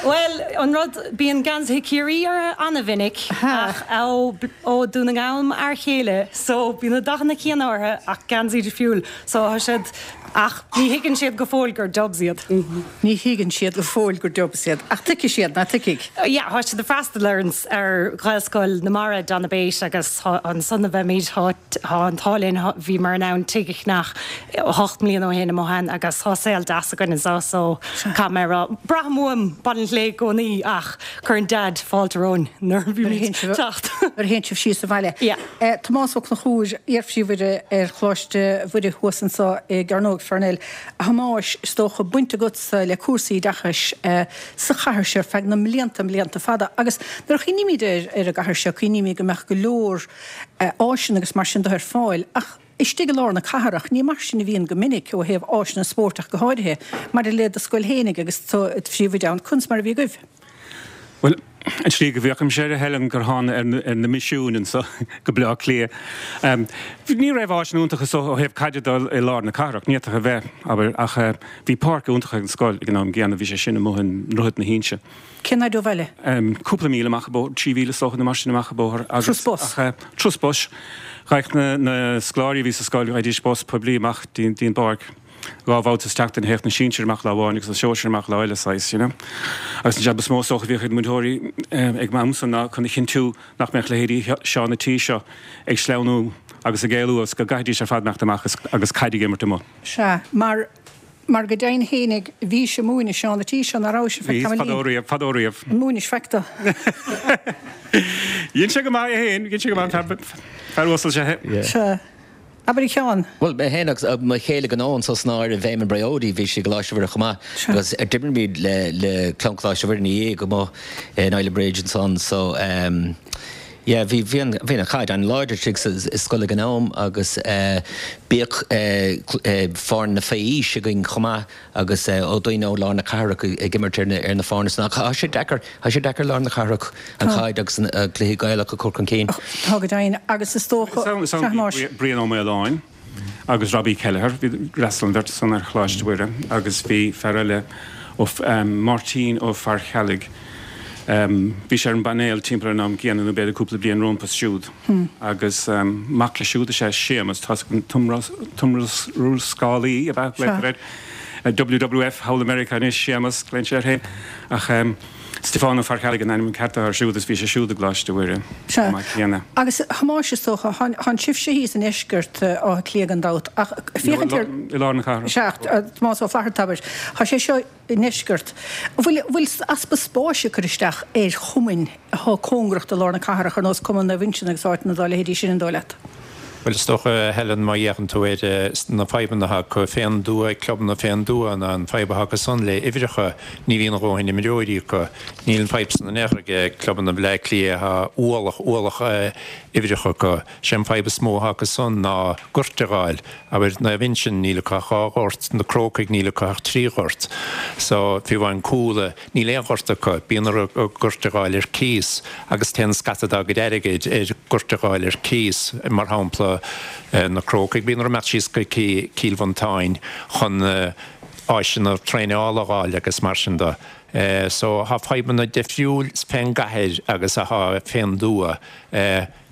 Bhuel, an rud, bíonn geansaithe Ciarraí orthu an-mhinic ach ó ó Dún na nGall m'fhear chéile so bíonn na dathanna céanna orthu ach geansaí difriúil so tá siad ach ní thuigeann siad go fóill gur Dubs iad. Ní thuigeann siad go fóill gur Dubs iad. Ach tuigfidh siad, ná tuigfidh? Yeah, tá siad ag freastal ar an ar Ghaelscoil na Mara, Donabate agus tá ansan a bheimid, tá tá an t-ádh linn, bhíomar in ann tigh a cheannach ocht mbliana ó shin amuigh ann agus tá saol deas againn anseo so caithfidh mé a rá, braithim uaim Baile an tSléibhe i gcónaí ach cuireann Dad fáilte romhainn nuair a bhímid ag teacht. Nuair a théann sibh síos abhaile. Yeah. Tomás Ó Conchúir, iar-phríomhoide ar Choláiste Mhuire thuas anseo i gCearnóg Pharnell. A Thomáis, is dócha baint agatsa le cúrsaí oideachais sa chathair seo ar feadh na mblianta, mblianta fada. Agus nuair a chuimhnímid ar ar an gcathair seo, cuimhnímid go mbeadh go leor áiseanna agus mar sin de ar fáil, ach istigh i lár na cathrach, ní mar sin a bhíonn go minic ó thaobh áiseanna spóirt ach go háirithe. Maidir le do scoil fhéinig agus tú i do phríomhoide ann, conas mar a bhí agaibh? Bhuel, an tslí go bhféachaimse air, a Helen, gur thána ar na misiúin anso go Bleá Cliath. Ní raibh áiseanna iontacha so ó thaobh caide de i lár na cathrach, ní fhéadfadh a bheith, abair, ach bhí páirc iontach ag an scoil ag an am gcéanna, bhí sé sin amuigh i nDroichead na hInse. Cén fhaid ó bhaile? Cúpla míle amach an bóthar, trí mhíle is dócha nó mar sin amach an bóthar. Turas bus? Turas bus. Ghaibheadh na scoláirí a bhí sa scoil, ghaibhdís bus poiblí amach dtí an bpáirc. Dhá bhabhta sa tseachtain, théadh na sinsir amach lá amháin agus na sóisir amach lá eile, saghas, you know. Agus an jab is mó is dócha a bhíodh ag na múinteoirí ag m'amsa ná chun a chinntiú nach mbeadh leithéidí Seán a' tí seo ag sleamhnú agus ag éalú agus go gcaithfidís ar fad imeacht amach agus caid ag imirt amuigh. Sea, mar, mar go deimhin fhéinig, bhís ag múineadh Seán a' tí seo, ná rabhais ar feadh Bhíos, tamaillín? fadó riamh, fadó riamh. An múinis faic dó? Dhein sé go maith é féin, dhein sé go maith, fear, fear uasal is ea é. Sea. Abair a Sheáin. Bhuel, mé féin agus mo chéile gnó anso san áireamh, Éamonn Briody, bhí sé i gColáiste Mhuire chomh maith agus d'imir muid le le clann Choláiste Mhuire ina dhiaidh amuigh in Islandbridge ansan so ehm yeah bhí bhí an bhí an chaid an-láidir istigh sa scoil ag an am agus eh bíodh eh eh foirne faoi aois againn chomh maith agus ó daoine ó lár na cathrach ag imirt ar na ar na foirne san ach tá sé deacair tá sé deacair lár na cathrach an chaid agus an cluichí Gaelach a chur chun cinn. Tá go deimhin agus is dócha Is ann bhí Brian Ó Maoláin agus Robbie Kelleher, bhí d'fhreastail an bheirt san ar Choláiste Mhuire agus bhí fear eile ó Máirtín Ó Faircheallaigh Bhí sé ar an bpainéal timpeall ar an am gcéanna, nó b'fhéidir cúpla bliain rompu siúd. Agus mac leis siúd is ea Séamus, tá an t-iomrascálaí, ab ea, glaotar air, WWF thall i Meiriceá anois, Séamus, glaonn sé air féin. Ach Stiofán Ó Faircheallaigh an ainm ceart atá air siúd is bhí sé siúd i gColáiste Mhuire Sea. chomh maith céanna. Agus a Thomáis, is dócha, thánn sibhse thíos i ndeisceart Átha Cliath gan dabht, ach féachaint ar. I lár na cathrach. Sea, Tomás Ó Flatharta, abair. Tá sé seo i ndeisceart. An bhfuil bhfuil easpa spáis ag cur isteach ar chumainn atá cóngarach do lár na cathrach, ar nós Cumann Naomh Uinseann agus áiteanna dá leithéidí sin, an dóigh leat? Bhuel, is dócha, Helen, má fhéachann tú ar na fadhbanna atá acu fén dtuath, clubanna fén dtuath, ná an fadhb atá acu san le uimhreacha, ní bhíonn a dhóthain imreoirí acu. Níl an fadhb san in aon chor ag clubanna Bhaile Átha Cliath, tá ualach, ualach uimhreacha acu. Sé an fadhb is mó atá acu san ná goirt a dh'fháil. Abair, Naomh Uinseann, níl acu ach dhá ghort, na Crócaigh, níl acu ach trí ghort. So, fiú amháin Cuala, níl aon ghort acu, bíonn orthu goirt a dh'fháil ar cíos agus téann scata dá gcuid airgid ar ghoirt a dh'fháil ar cíos, mar shampla na Crócaigh, bíonn orthu imeacht síos go Cill Mhantáin chun áiseanna traenála a dh'fháil agus mar sin de. So tá fadhbanna difriúil fén gcathair agus atá fén dtuath.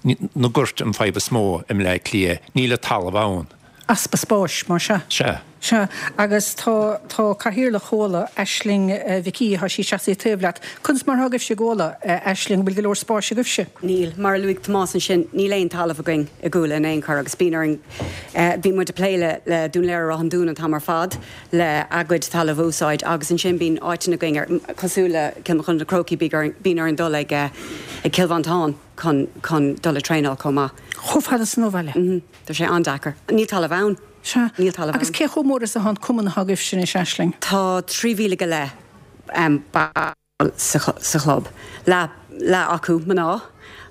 Na goirt an fadhb is mó i mBleá Cliath, níl an talamh ann. Easpa spáis, más ea. Sea. Sea, agus tá, tá Cathaoirleach Chuala, Aisling Mhic Aoidh, tá sí seasaithe taobh leat. Conas mar atá agaibhse i gCuala, Aisling, an bhfuil go leor spáis agaibhse? Níl. Mar a luaigh Tomás ansin, níl aon talamh againn i gCuala in aon chor agus bíonn orainn, bíonn muid ag plé le, le Dún Laoghaire-Ráth an Dúin an t-am ar fad le a gcuid talamh a úsáid agus ansin bíonn áiteanna againn ar, cosúil le Cill Mochuda na Crócaigh, bíonn orainn dul ag, ag Cill Mhantáin chun, chun dul ag traenáil chomh maith. Chomh fada san ó bhaile? Mm-hmm. Tá sé an-deacair. Níl talamh ann. Sea. Níl talamh Agus ann. cé chomh mór is atá an cumann atá agaibhse anois, Aisling? Tá trí mhíle go leith ball sa chlub. Leath, leath acu mná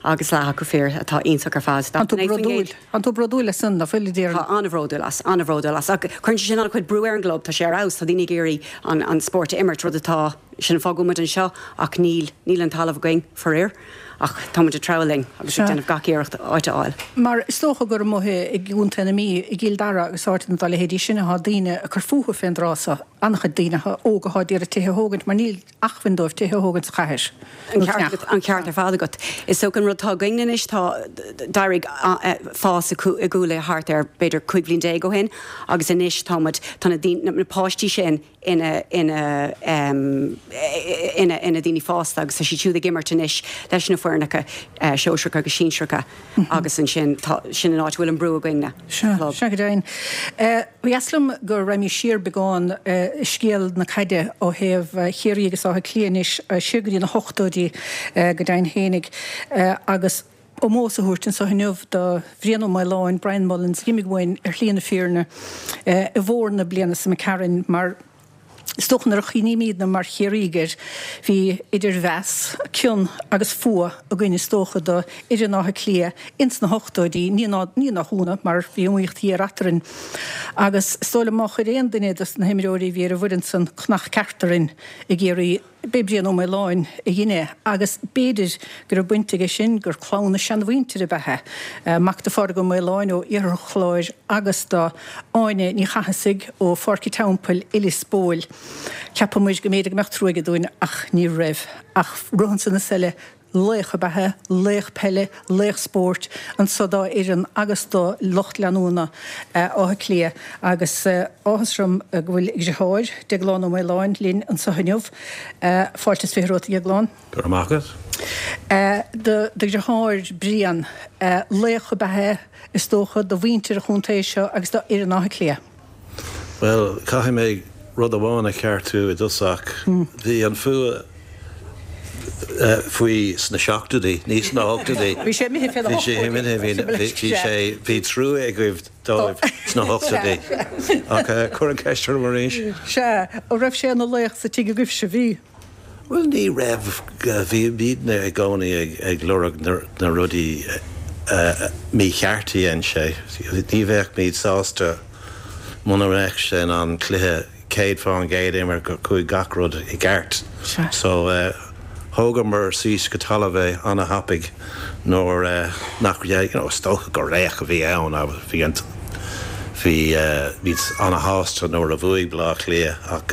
agus leath acu fir atá iontach ar fad. Tá tú bródúil. Tá tú bródúil as san, nach bhfuil, a déarfainn? Tá an-bhródúil as, an-bhródúil as. Ach cuireann sé sin an-chuid brú ar an gclub, tá sé ar fheabhas, tá daoine ag iarraidh an, an spórt a imirt, rud atá, sin an fáth go bhfuil muid anseo ach níl, níl an talamh againn, faraor. Ach tá muid ag treabhadh linn agus ag déanamh gach iarracht áit a fháil. Mar is dócha gur amuigh i gContae na Mí, i gCill Dara agus áiteanna dá leithéidí sin atá daoine ag cur fúthu fén dtráth so, an-chuid daoine óga atá ag iarraidh tithe a thógaint mar níl acmhainn dóibh tithe a thógaint sa chathair An nó ceart teach. an ceart ar fad agat. Is dócha an rud atá againn anois, tá, d'éirigh fás i gCuala thart ar b'fhéidir cúig bhliain déag ó shin agus anois tá muid, tá na daoine, na páistí sin, ina ina ina ina daoine fásta agus tá siad siúd ag imirt anois leis na foirneacha sóisearacha agus sinsearacha agus ansin tá sin an áit a bhfuil an brú againne Sea, club. sea go deimhin. Ba dheas liom go raghaimís siar beagán i scéal na caide ó thaobh Chiarraí agus Átha Cliath anois, siar go dtí na hochtóidí go deimhin fhéinig agus ómós a thabhairt anseo inniu do Bhrian Ó Maoláin, Brian Mullins, a d'imigh uainn ar shlí na fírinne i bhfómhar na bliana seo imigh tharainn mar is dócha nuair a chuimhnímidne mar Chiarraígh air, bhí idir mheas, cion agus fuath againn is dócha do fhoireann Átha Cliath ins na hochtóidí, ní ní nach ionadh mar bhí iomaíocht ghéar eadrainn agus is dóigh liom má chuir aon duine dos na himreoirí a bhí ar an bhfoireann san cnach ceart orainn i gCiarraí, B'é Brian Ó Maoláin a dhein é agus b'fhéidir go raibh baint aige sin gur clann a seanmhuintire ab ea é, mac do Phádraig Ó Maoláin ó Iarthar an Chláir agus do Áine Ní Chathasaigh ó Pháirc an Teampaill i Lios Póil. Cheapamair go mb'fhéidir go mbeadh trua aige dúinn ach ní raibh ach rud ansan is eile. Laoch ab ea é, laoch peile, laoch spóirt anso dá fhoireann agus do lucht leanúna Átha Cliath agus áthas orm go bhfuil a dheartháir, Deaglán Ó Maoláin, linn anso inniu. Fáilte is fiche romhat, a Dheagláin. Go raibh maith agat. Do dheartháir, Brian, laoch ab ea é, is dócha, do mhuintir an chontae seo agus do fhoireann Átha Cliath. Bhuel, caithfidh mé rud amháin a cheartú i dtosach. Bhí an fuath faoi sna seachtóidí, ní sna hochtóidí. Bhí sé imithe fé na Bhí sé imithe, bhí bhí sé, bhí trua agaibh dóibh sna hochtóidí. Ach cuir an ceist orm arís. Sea, an raibh sé ina laoch sa tigh agaibhse, bhí? Bhuel, ní raibh, bhí muidne i gcónaí ag lorg na rudaí mícheart a dhein sé. Ní bheadh muid sásta muna mbeadh sé in ann cluiche céad fán gcéad a imirt gur chuaigh gach rud i gceart. So thógamar síos go talamh é ana-thapaidh nuair nach, you know, is dócha gur laoch a bhí ann agus bhí an Bhí muid ana-shásta nuair a bhuaigh Bleá Cliath ach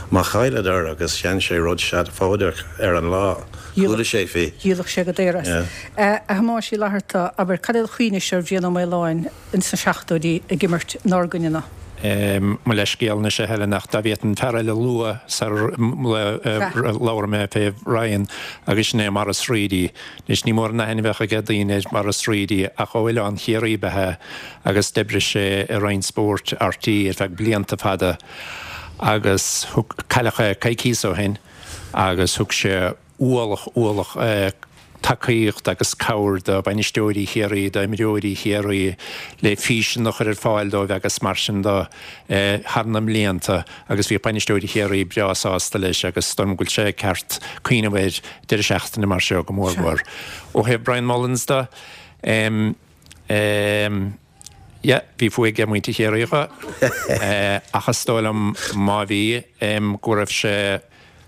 má chailleadar agus dhein sé rud seafóideach ar an lá, chuala sé faoi. Dhíolfadh sé go daor as. A Thomáis Uí Fhlatharta, abair, cad é do chuimhne-se ar Bhrian Ó Maoláin ins na seachtóidí ag imirt inár gcoinne-na? Mo leithscéal anois a Helen ach dá bhféadfainn fear eile a lua sar labhair mé fé Ryan agus sin é Maurice Reidy. Anois ní mór an aithne a bheadh ag daoine ar Maurice Reidy ach ó Oileán Chiarraí ba ea agus d'oibrigh sé i Roinn Spóirt RTÉ ar feadh blianta fada agus thug, cailleadh é coicíos ó shin agus thug sé ualach, ualach tacaíocht agus cabhair do bhainisteoirí Chiarraí, d'imreoirí Chiarraí le físean a chur ar fáil dóibh agus mar sin de thar na mblianta agus bhí bainisteoirí Chiarraí breá sásta leis agus dóigh liom go bhfuil sé ceart cuimhneamh air deireadh seachtaine mar seo go mór mhór. Ó thaobh Brian Mullins de, em, em, yeah, bhí fuath ag muintir Chiarraí dho ach is dóigh liom má bhí, em, go raibh sé,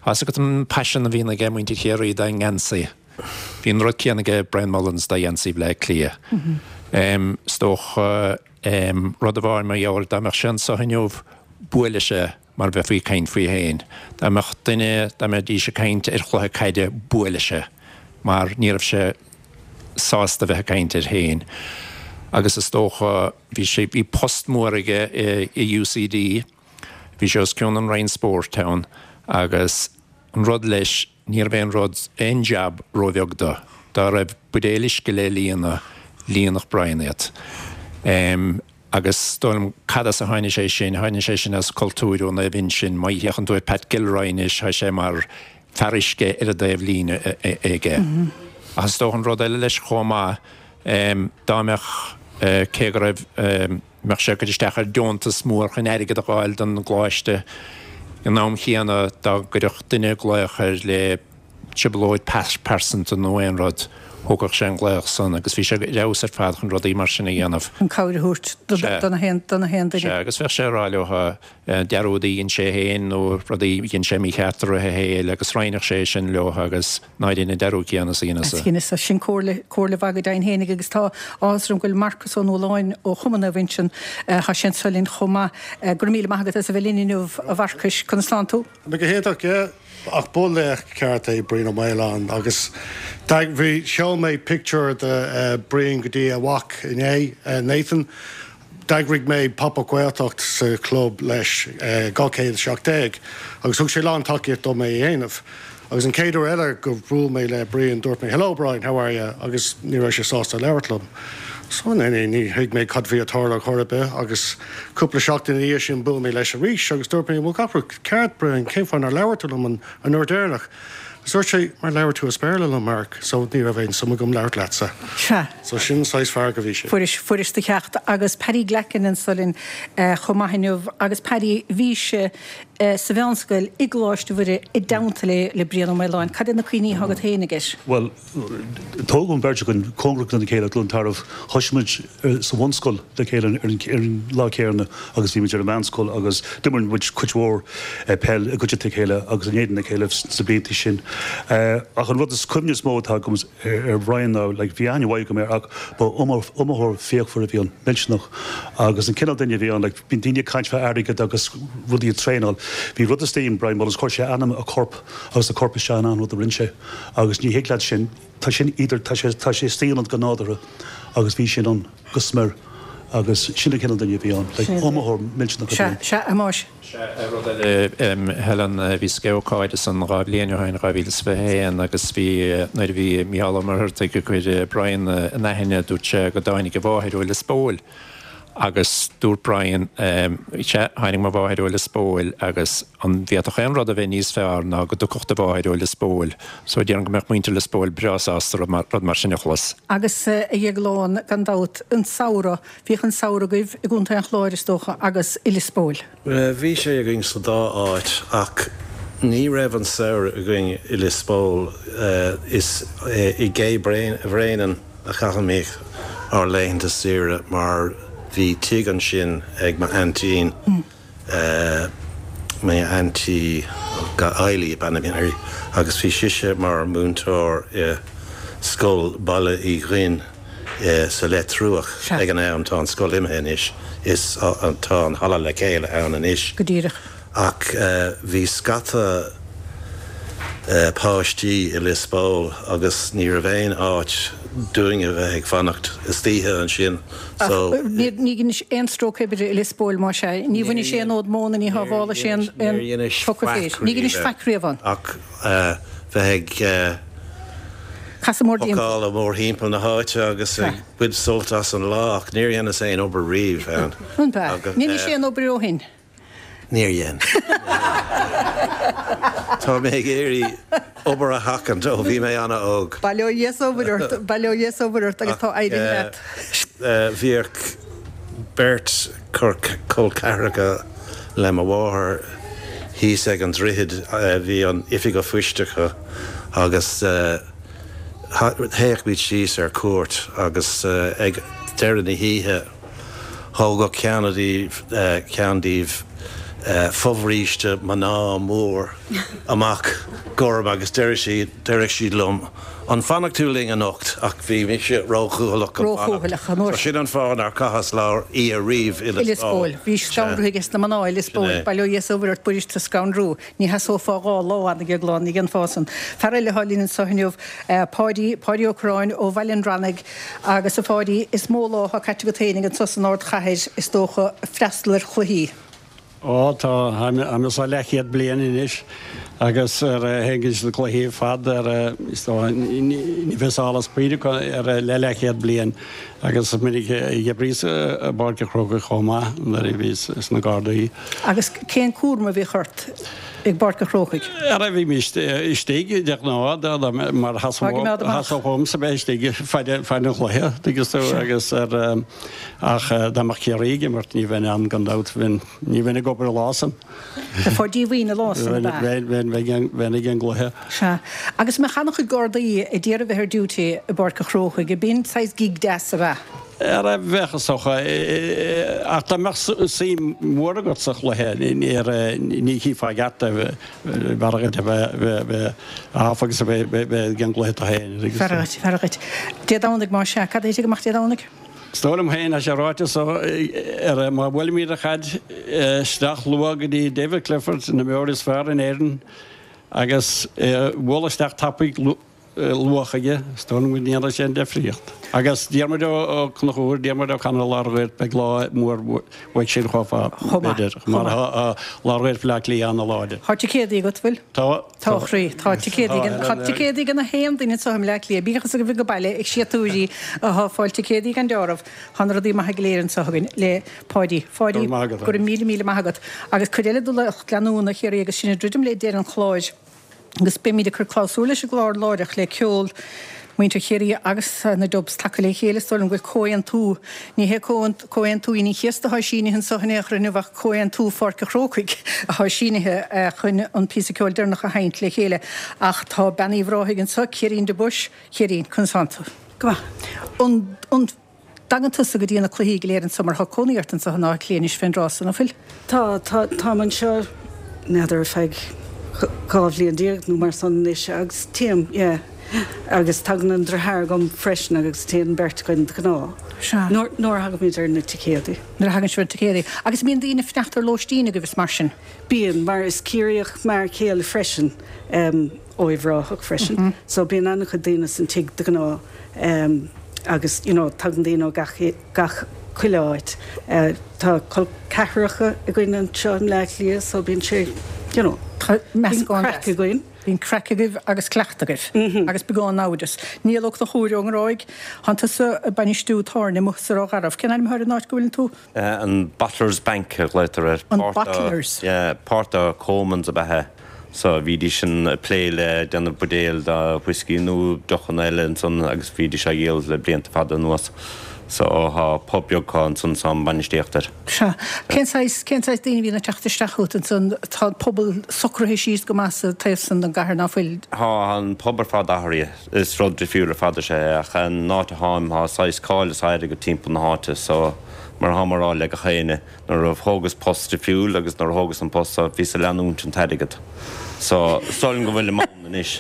tá 'fhios agat an paisean a bhíonn ag muintir Chiarraí dá ngeansaí. Bhí an rud céanna aige Brian Mullins dá gheansaí Bhaile Átha Cliath. Is dócha rud amháin mar gheall dá mbeadh sé anseo inniu buailfeadh sé mar bheifí ag caint faoi féin. Dá mbeadh duine, dá mbeidís ag caint ar chluiche caide buailfeadh sé mar ní raibh sé sásta bheith ag caint air féin. Agus is dócha bhí sé, bhí post mór aige i UCD, bhí sé os cionn an Roinn Spóirt ann agus an rud leis, ní raibh aon rud, aon jab róbheag dó. Dá raibh buidéal uisce le líonadh, líonfadh Brian iad. Agus is dóigh liom, cad as a tháinig sé sin? Tháinig sé sin as cultúr ó Naomh Uinseann. Má fhéachann tú ar Pat Gilroy anois, tá sé mar fear uisce ar an dtaobh líne aige. Ach is dócha an rud eile leis chomh maith, dá mbeadh, cé go raibh, mbeadh sé ag cur isteach ar deontas mór chun airgead a fháil don gcoláiste, In am chéanna, dá gcuirfeadh duine glaoch air le trioblóid pearsanta nó aon rud, thógfadh sé an glaoch san agus bhí sé ar fheabhas ar fad chun rudaí mar sin a dhéanamh. Chun cabhair a thabhairt do na haon duine. Sea, agus bheadh sé ag rá leo dearúdaí a dhein sé féin nó rudaí a dhein sé mícheart i rith a shaoil agus roinnfeadh sé sin leo agus ná dein an dearúd céanna is a dheineas-sa. Dheineas-sa. Sin comhairle, comhairle mhaith go deimhin fhéinig agus tá áthas orm go bhfuil Marcus Ó Nualláin ó Chumann Naomh Uinseann, tá sé anseo linn chomh maith. Go raibh míle maith agat as a bheith linn inniu, a Mharcais. Conas tánn tú? Go hiontach, yeah. Ach ba laoch ceart é Brian Ó Maoláin agus bhí, sheol mé pictiúr de Brian go dtí a mhac inné, Nathan. D'eagraigh mé Pop Up Gaeltacht sa chlub leis, dhá chéad a seacht déag, agus thug sé lán tacaíocht dom é a dhéanamh. Agus an chéad uair eile go bhuail mé le Brian dúirt mé Hello Brian, how are you? agus ní raibh sé sásta labhairt liom. So ní ní thuig mé cad bhí ag tarlú chor ar bith agus cúpla seachtain ina dhiaidh sin bhuail mé leis arís agus dúirt mé bhfuil gach rud ceart Brian, cén fáth nár labhair tú liom an an uair deireanach? Agus dúirt sé mar labhair tú as Béarla liom Mark so ní raibh aon suim agam labhairt leatsa. Sea. So sin an saghas fear go bhí sé. Fuairis, fuairis do cheacht agus Paddy Glackin anso linn chomh maith inniu agus Paddy bhís sa mheánscoil i gColáiste Mhuire i dteannta le le Brian Ó Maoláin. Cad iad na cuimhní atá agat féin aige? Bhuel, tógadh an bheirt againn cóngarach dona chéile, Cluain Tarbh. Thosaigh muid sa bhunscoil le chéile ar an lá céanna agus bhí muid ar an mheánscoil agus d'imir muid cuid mhór peil i gcuideachta a chéile agus in éadan a chéile sna blianta sin. Ach an rud is cuimhne is mó atá agam ar Bhrian ná, like, bhí aithne mhaith agam air ach ba iomaitheoir fíochmhar a bhí ann, millteanach. Agus an cineál duine a bhí ann, like, bíonn daoine ag caint fá airgead agus rudaí ag traenáil. Bhí rud istigh in Brian Mullins, chuir sé a anam, a chorp agus a chorp isteach in achan rud a rinne sé agus ní thig leat sin, tá sin idir, tá sé, tá sé istigh ionat go nádúrtha agus bhí sin ann go smior agus sin an cineál duine a bhí ann, like iomaitheoir millteanach a bhí ann. Sea, sea, a Thomáis. Sea, rud eile, Helen, bhíos ag ócáid ansan dhá bhliain ó shin, dhá mhíle is fiche a haon, agus bhí, nuair a bhí Mícheál Ó Muircheartaigh ag cur Brian in aithne, dúirt sé go dtáinig a mháthair ó Lios Póil. Agus dúirt Brian, Sea, tháinig mo mháthair ó Lios Póil agus an bhféadfadh aon rud a bheith níos fearr ná go dtiocfadh do mháthair ó Lios Póil? So déarfainn go mbeadh muintir Lios Póil breá sásta rud mar sin a chlos. Agus a Dhéagláin, gan dabht, an samhradh, bhíodh an samhradh agaibh i gContae an Chláir, is dócha, agus i Lios Póil. Bhí sé againn sa dá áit ach ní raibh an samhradh againn i Lios Póil. Is i gCé Bhréanainn a chaithimid ár laethanta saoire mar bhí tigh ansin ag m'aintín, m'aintín Eilí ab ainm uirthi, agus bhí sise mar mhúinteoir i Scoil Baile Uí Dhuinn sa Leitriúch ag an am, tá an scoil imithe anois, is tá an Halla Le Chéile ann anois. Go díreach. Ach bhí scata páistí i Lios Póil agus ní raibh aon áit dúinn a bheith ag fanacht istoíche ansin so. Ach ní dheinis aon stróc oibre i Lios Póil más ea? Ní bhainis aon fhód móna, ní shábhálais aon phóca féir. Ní dheinis faic riamh ann. Ach bheith ag casadh mórthimpeall. Pacáil mórthimpeall na háite agus ag baint sult as an lá ach níor dheineas aon obair riamh ann. An b'ea? Ní dheinis aon obair ó shin? Níor dhein. Tá mé ag iarraidh obair a sheachaint ó bhí mé an-óg. Bail ó Dhia is ó Mhuire ort, bail ó Dhia is ó Mhuire ort agus tá éirithe leat. Bhíodh beirt col ceathracha le mo mháthair thíos ag an droichead, bhí an oifig an phoist acu agus théadh muid síos ar cuairt agus ag deireadh na hoíche thógadh ceann díobh ceann díobh fobhríste mná mór amach gorm agus deireadh siad deireadh siad liom an bhfanfaidh tú linn anocht ach bhí mise róchúthaileach chun Róchúthaileach an uair So sin an fáth nár chaitheas lá oíche riamh i I Lios Póil. Bhí scanrú aige sna mná i Lios Póil. Bail ó Dhia is ó Mhuire ort b'fhuirist scanrú. Ní sheasófá dhá lá ann ag lá ní dhéanfá san. Fear eile atá linn anseo inniu, Páidí, Páidí Ó Curráin ó Bhaile an Bhranaigh agus a Pháidí, is mó lá atá caite agat féinig anseo san ardchathair is dócha, ag freastal ar chluichí. Ó tá, táim anseo leathchéad bliain anois agus ar théim go dtí na cluichí ar fad ar is dóigh ní bheidh solas pointe acu ar le leathchéad bliain agus is minic a d'oibríos i bPáirc an Chrócaigh chomh maith nuair a bhíos sna Gardaí. Agus cén cúram a bhíodh ort i bPáirc an Chrócaigh? Ara bhímis istigh de ghnáth mar theastódh uaimse bheith istigh fad an chluiche, tuigeann tú, agus ar ach dá mbeadh Ciarraí ag imirt ní bheinn ann gan dabht, bheinn, ní bheinn ag obair an lá san. Bheifeá díomhaoin an lá san, ab ea? Bheinn, bheinn, bheinn ag an gcluiche. Sea. Agus an mbeadh an-chuid Gardaí ag iarraidh bheith ar duty i bPáirc an Chrócaigh, b'in saghas gig deas, ab ea? Ara bheadh is dócha, ach dá mbeadh suim mhór agat sa chluiche ní chífeá i gceart é, b'fhearr dhuit a bheith off agus a bheith ag an gcluiche tú féin. B'fhearr dhuit, b'fhearr dhuit. Dé Domhnaigh más ea, cad a thitfidh amach Dé Domhnaigh? Is dóigh liom féin, tá sé ráite so, ar má bhuailimid an chaid isteach luath go dtí David Clifford, an t-imreoir is fearr in Éirinn, agus é a bhualadh isteach tapaidh luath chuige, is dóigh liom go ndéanfaidh sé an difríocht. Agus Diarmuid Ó Conchúir, Diarmuid O'Connor Lár Ghuairc, beidh lá mór uaidh sin chomh fada, b'fhéidir, mar tá Lár Ghuairc Bhaile Átha Cliath an-láidir. Tá ticéadaí agat, bhfuil? Tá. Tá, a chroí. Tá ticéadaí ag, tá ticéadaí ag na haon duine anseo i mBleá Cliath, bíodh is go bhfuil go baile ag siatúirí atá ag fáil ticéadaí gan deáramh. Tá na rudaí maithe go léir anseo againn le Páidí. Pháidí, go raibh míle míle maith agat. Agus cuid eile de lucht leanúna Chiarraí agus sinn ag druidim le deireadh an chláir agus beimid ag cur clabhsúr leis an gclár láithreach le ceol muintir Chiarraí agus na Dubs tagtha le chéile. Is dóigh liom go bhfuil comhaontú, ní hé Comhaontú Aoine an Chéasta atá sínithe anseo in aon chor inniu ach Comhaontú Pháirc an Chrócaigh atá sínithe chun an píosa ceoil deireanach a sheinnt le chéile. Ach tá Bean Uíbh Ráthaigh anseo, Ciairín de Buis. Ciairín, conas tánn tú? Go maith. An, an dtagann tusa go dtí na cluichí go léir anseo mar tá cónaí ort anseo in Áth Cliath anois fén dtráth san, an bhfuil? Tá, tá, táim anseo, n'fheadar, ar feadh dhá bhliain déag nó mar san anois agus téim, yeah. Agus tagann an deartháir agam freisin agus téann an bheirt againn de ghnáth. Sea. Nuair, nuair a thagaimid ar na ticéadaí. Nuair a thagann sibh ar na ticéadaí. Agus mbíonn daoine ag fanacht ar lóistín agaibh is mar sin? Bíonn, mar is Ciarraíoch m'fhear céile freisin, ó Uíbh Ráthach freisin. So bíonn an-chuid daoine san tigh de ghnáth agus you know tagann daoine ó gach, gach chuile áit. Tá col ceathracha againn anseo i mBleá Cliath so bíonn sé you know, Tá bíonn meascán craic deas. againn. Bíonn craic agaibh agus cleachtadh agaibh agus beagán naimhdeas. Niall Ó Conchúir ón nGráig, Tánn tusa ag bainistiú tábhairne amuigh sa Ráth Garbh. Cén ainm atá ar an áit go bhfuileann tú? An Bottlers Bank a ghlaotar air. An Bottlers? Yeah, páirt de Comans ab ea é. So bhídís sin ag plé le déanamh buidéil de whiskey nó deochanna eile ansan agus bhídís á dhíol le blianta fada anuas. So thá pub beag acu ansan 's táim bainistíocht air. Sea. Cén saghas, cén saghas daoine a bhíonn ag teacht isteach chugat ansan? Tá an pobal socraithe síos go maith sa taobh san den gcathair, ná fuil? Tá, tá an pub ar fad athraithe. Is rud difriúil ar fad is ea é ach an áit a tháim thá saghas cáil is airgead timpeall na háite so mar atáim a rá le gach éinne nuair a thógas post difriúil agus nuair a thógas an post so bhíos ag leanúint an t-airgead so is dóigh liom go bhfuilim ann anois.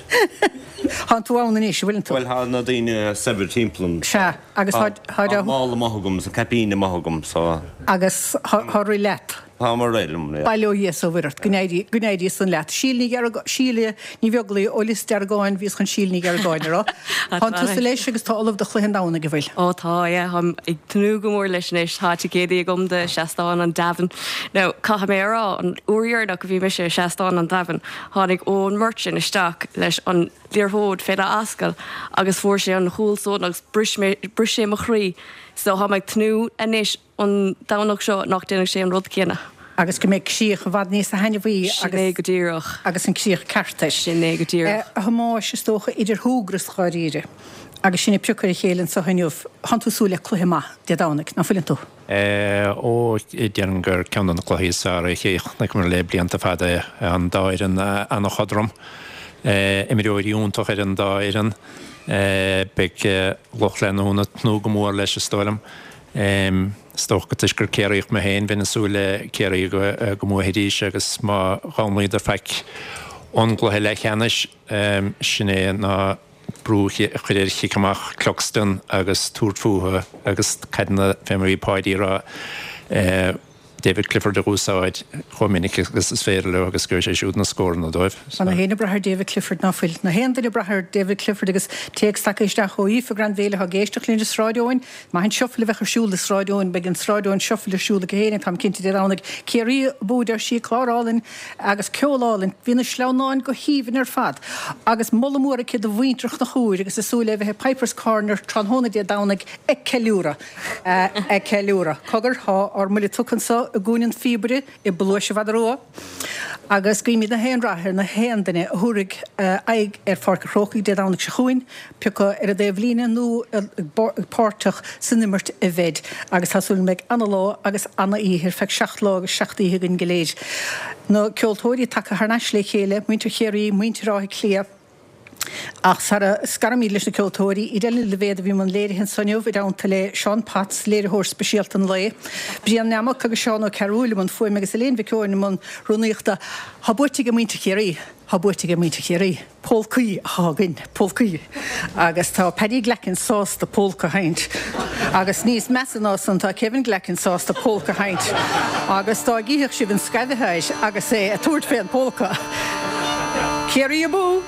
Tánn tú ann anois, an bhfuileann tú? Bhuel thá na daoine saibhir timpeall orm. Sea, agus tá, tá Tá mála maith agam is an caipín maith agam so. Agus thá rith leat. Tá ag rith liom, yeah. Bail ó Dhia is ó Mhuire ort, go n-éirí, go n-éirí san leat. Síle Ní Ghearga, Síle Ní Bheaglaoi ó Lios Deargáin, bhíos chun Síle Ní Gheargáin a rá. Tánn tusa leis agus tá ullamh do chluiche an Domhnaigh, an bhfuil? Ó tá, yeah, táim ag tnúth go mór leis anois. Tá ticéadaí agam do Seastán an Domhain. Now, caithfidh mé a rá, an uair dheireanach a bhí mise i Seastán an Domhain, tháinig Eoin Murchan isteach leis an liathróid féna ascaill agus fuair sé an chúl san agus bris mé, bris sé mo chroí. So táim ag tnúth anois an Domhnach seo nach déanfaidh sé an rud céanna. Agus go mbeidh críoch i bhfad níos taitneamhaí Sin é go díreach. Agus an críoch ceart air. Sin é go díreach. A Thomáis is dócha idir shúgradh is dháiríre agus sinn ag piocadh ar a chéile anseo inniu, tánn tú ag súil le cluiche maith Dé Domhnaigh, ná fuileann tú? Ó, déarfainn gur ceann de na cluichí is fearr a chonaiceamar le blianta fada é. An dá fhoireann an-chothrom. Imreoirí iontach ar an dá fhoireann. Beidh lucht leanúna ag tnúth go mór leis, is dóigh liom. Is dócha go toisc gur Ciarraíoch mé féin, bheinn ag súil le Ciarraí go mbuafaidís agus má dhamnaíodar faic ón gcluiche leathcheannais, sin é ná brú a chur ar chic amach Cluxton agus tabhairt fúthu agus caideanna fé mar a bhí Páidí ag rá, David Clifford a úsáid chomh minic agus is féidir leo agus go sé siúd na scóranna dóibh. Tá gach éinne ag brath ar David Clifford ná fuil? Gach aon duine ag brath ar David Clifford agus téacs tagtha isteach ó Aoife Granville atá ag éisteacht linn i Sráid Eoin. Maith an shuffle a bheadh ar siúl i Sráid Eoin. Beidh an Sráid Eoin shuffle ar siúl aici féin, táim cinnte Dé Domhnaigh. Ciarraí abú a deir sí, clár álainn agus ceol álainn. Bhí na sleamhnáin go haoibhinn ar fad agus moladh mór aici do mhuintir Chnoc Úir agus ag súil le bheith i Piper's Corner tráthnóna Dé Domhnaigh ag ceiliúradh. Ag ceiliúradh. Cogar, tá ár mbuille tugtha anso i gCúinne an Phíobaire i bPluais an Mhadra Rua agus guímid na haon rath ar na haon duine a thabharfaidh aghaidh ar Pháirc an Chrócaigh Dé Domhnaigh seo chugainn, pé acu ar an dtaobhlíne nó páirteach san imirt a bheid agus tá súil go mbeidh ana-lá agus ana-oíche ar feadh seacht lá agus seacht oíche againn go léir. Na ceoltóirí tagtha thar n-ais le chéile, muintir Chiarraí, muintir Átha Cliath, Ach sara scaraimid leis na ceoltóirí, Edel Ní Loibhéad a bhí i mbun léirithe anso inniu, i dteannta le Seán Potts, léiritheoir speisialta an lae, Brian Nammock agus Seán Ó Cearúil i mbun fuaime agus Elaine Mhic Eoin i mbun rúnaíochta. Tá buaite ag muintir Chiarraí. Tá buaite ag muintir Chiarraí. Pólcaí atá againn. Pólcaí. Agus tá Paddy Glackin sásta pólca a sheinnt. Agus níos measa ná san, tá Kevin Glackin sásta pólca a sheinnt. Agus dá gcífeadh sibh an scaimh atá air agus é ag tabhairt fén bpólca. Ciarraí abú!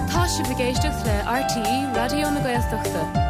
Tá sibh ag éisteacht le RTÉ Raidió na Gaeltachta.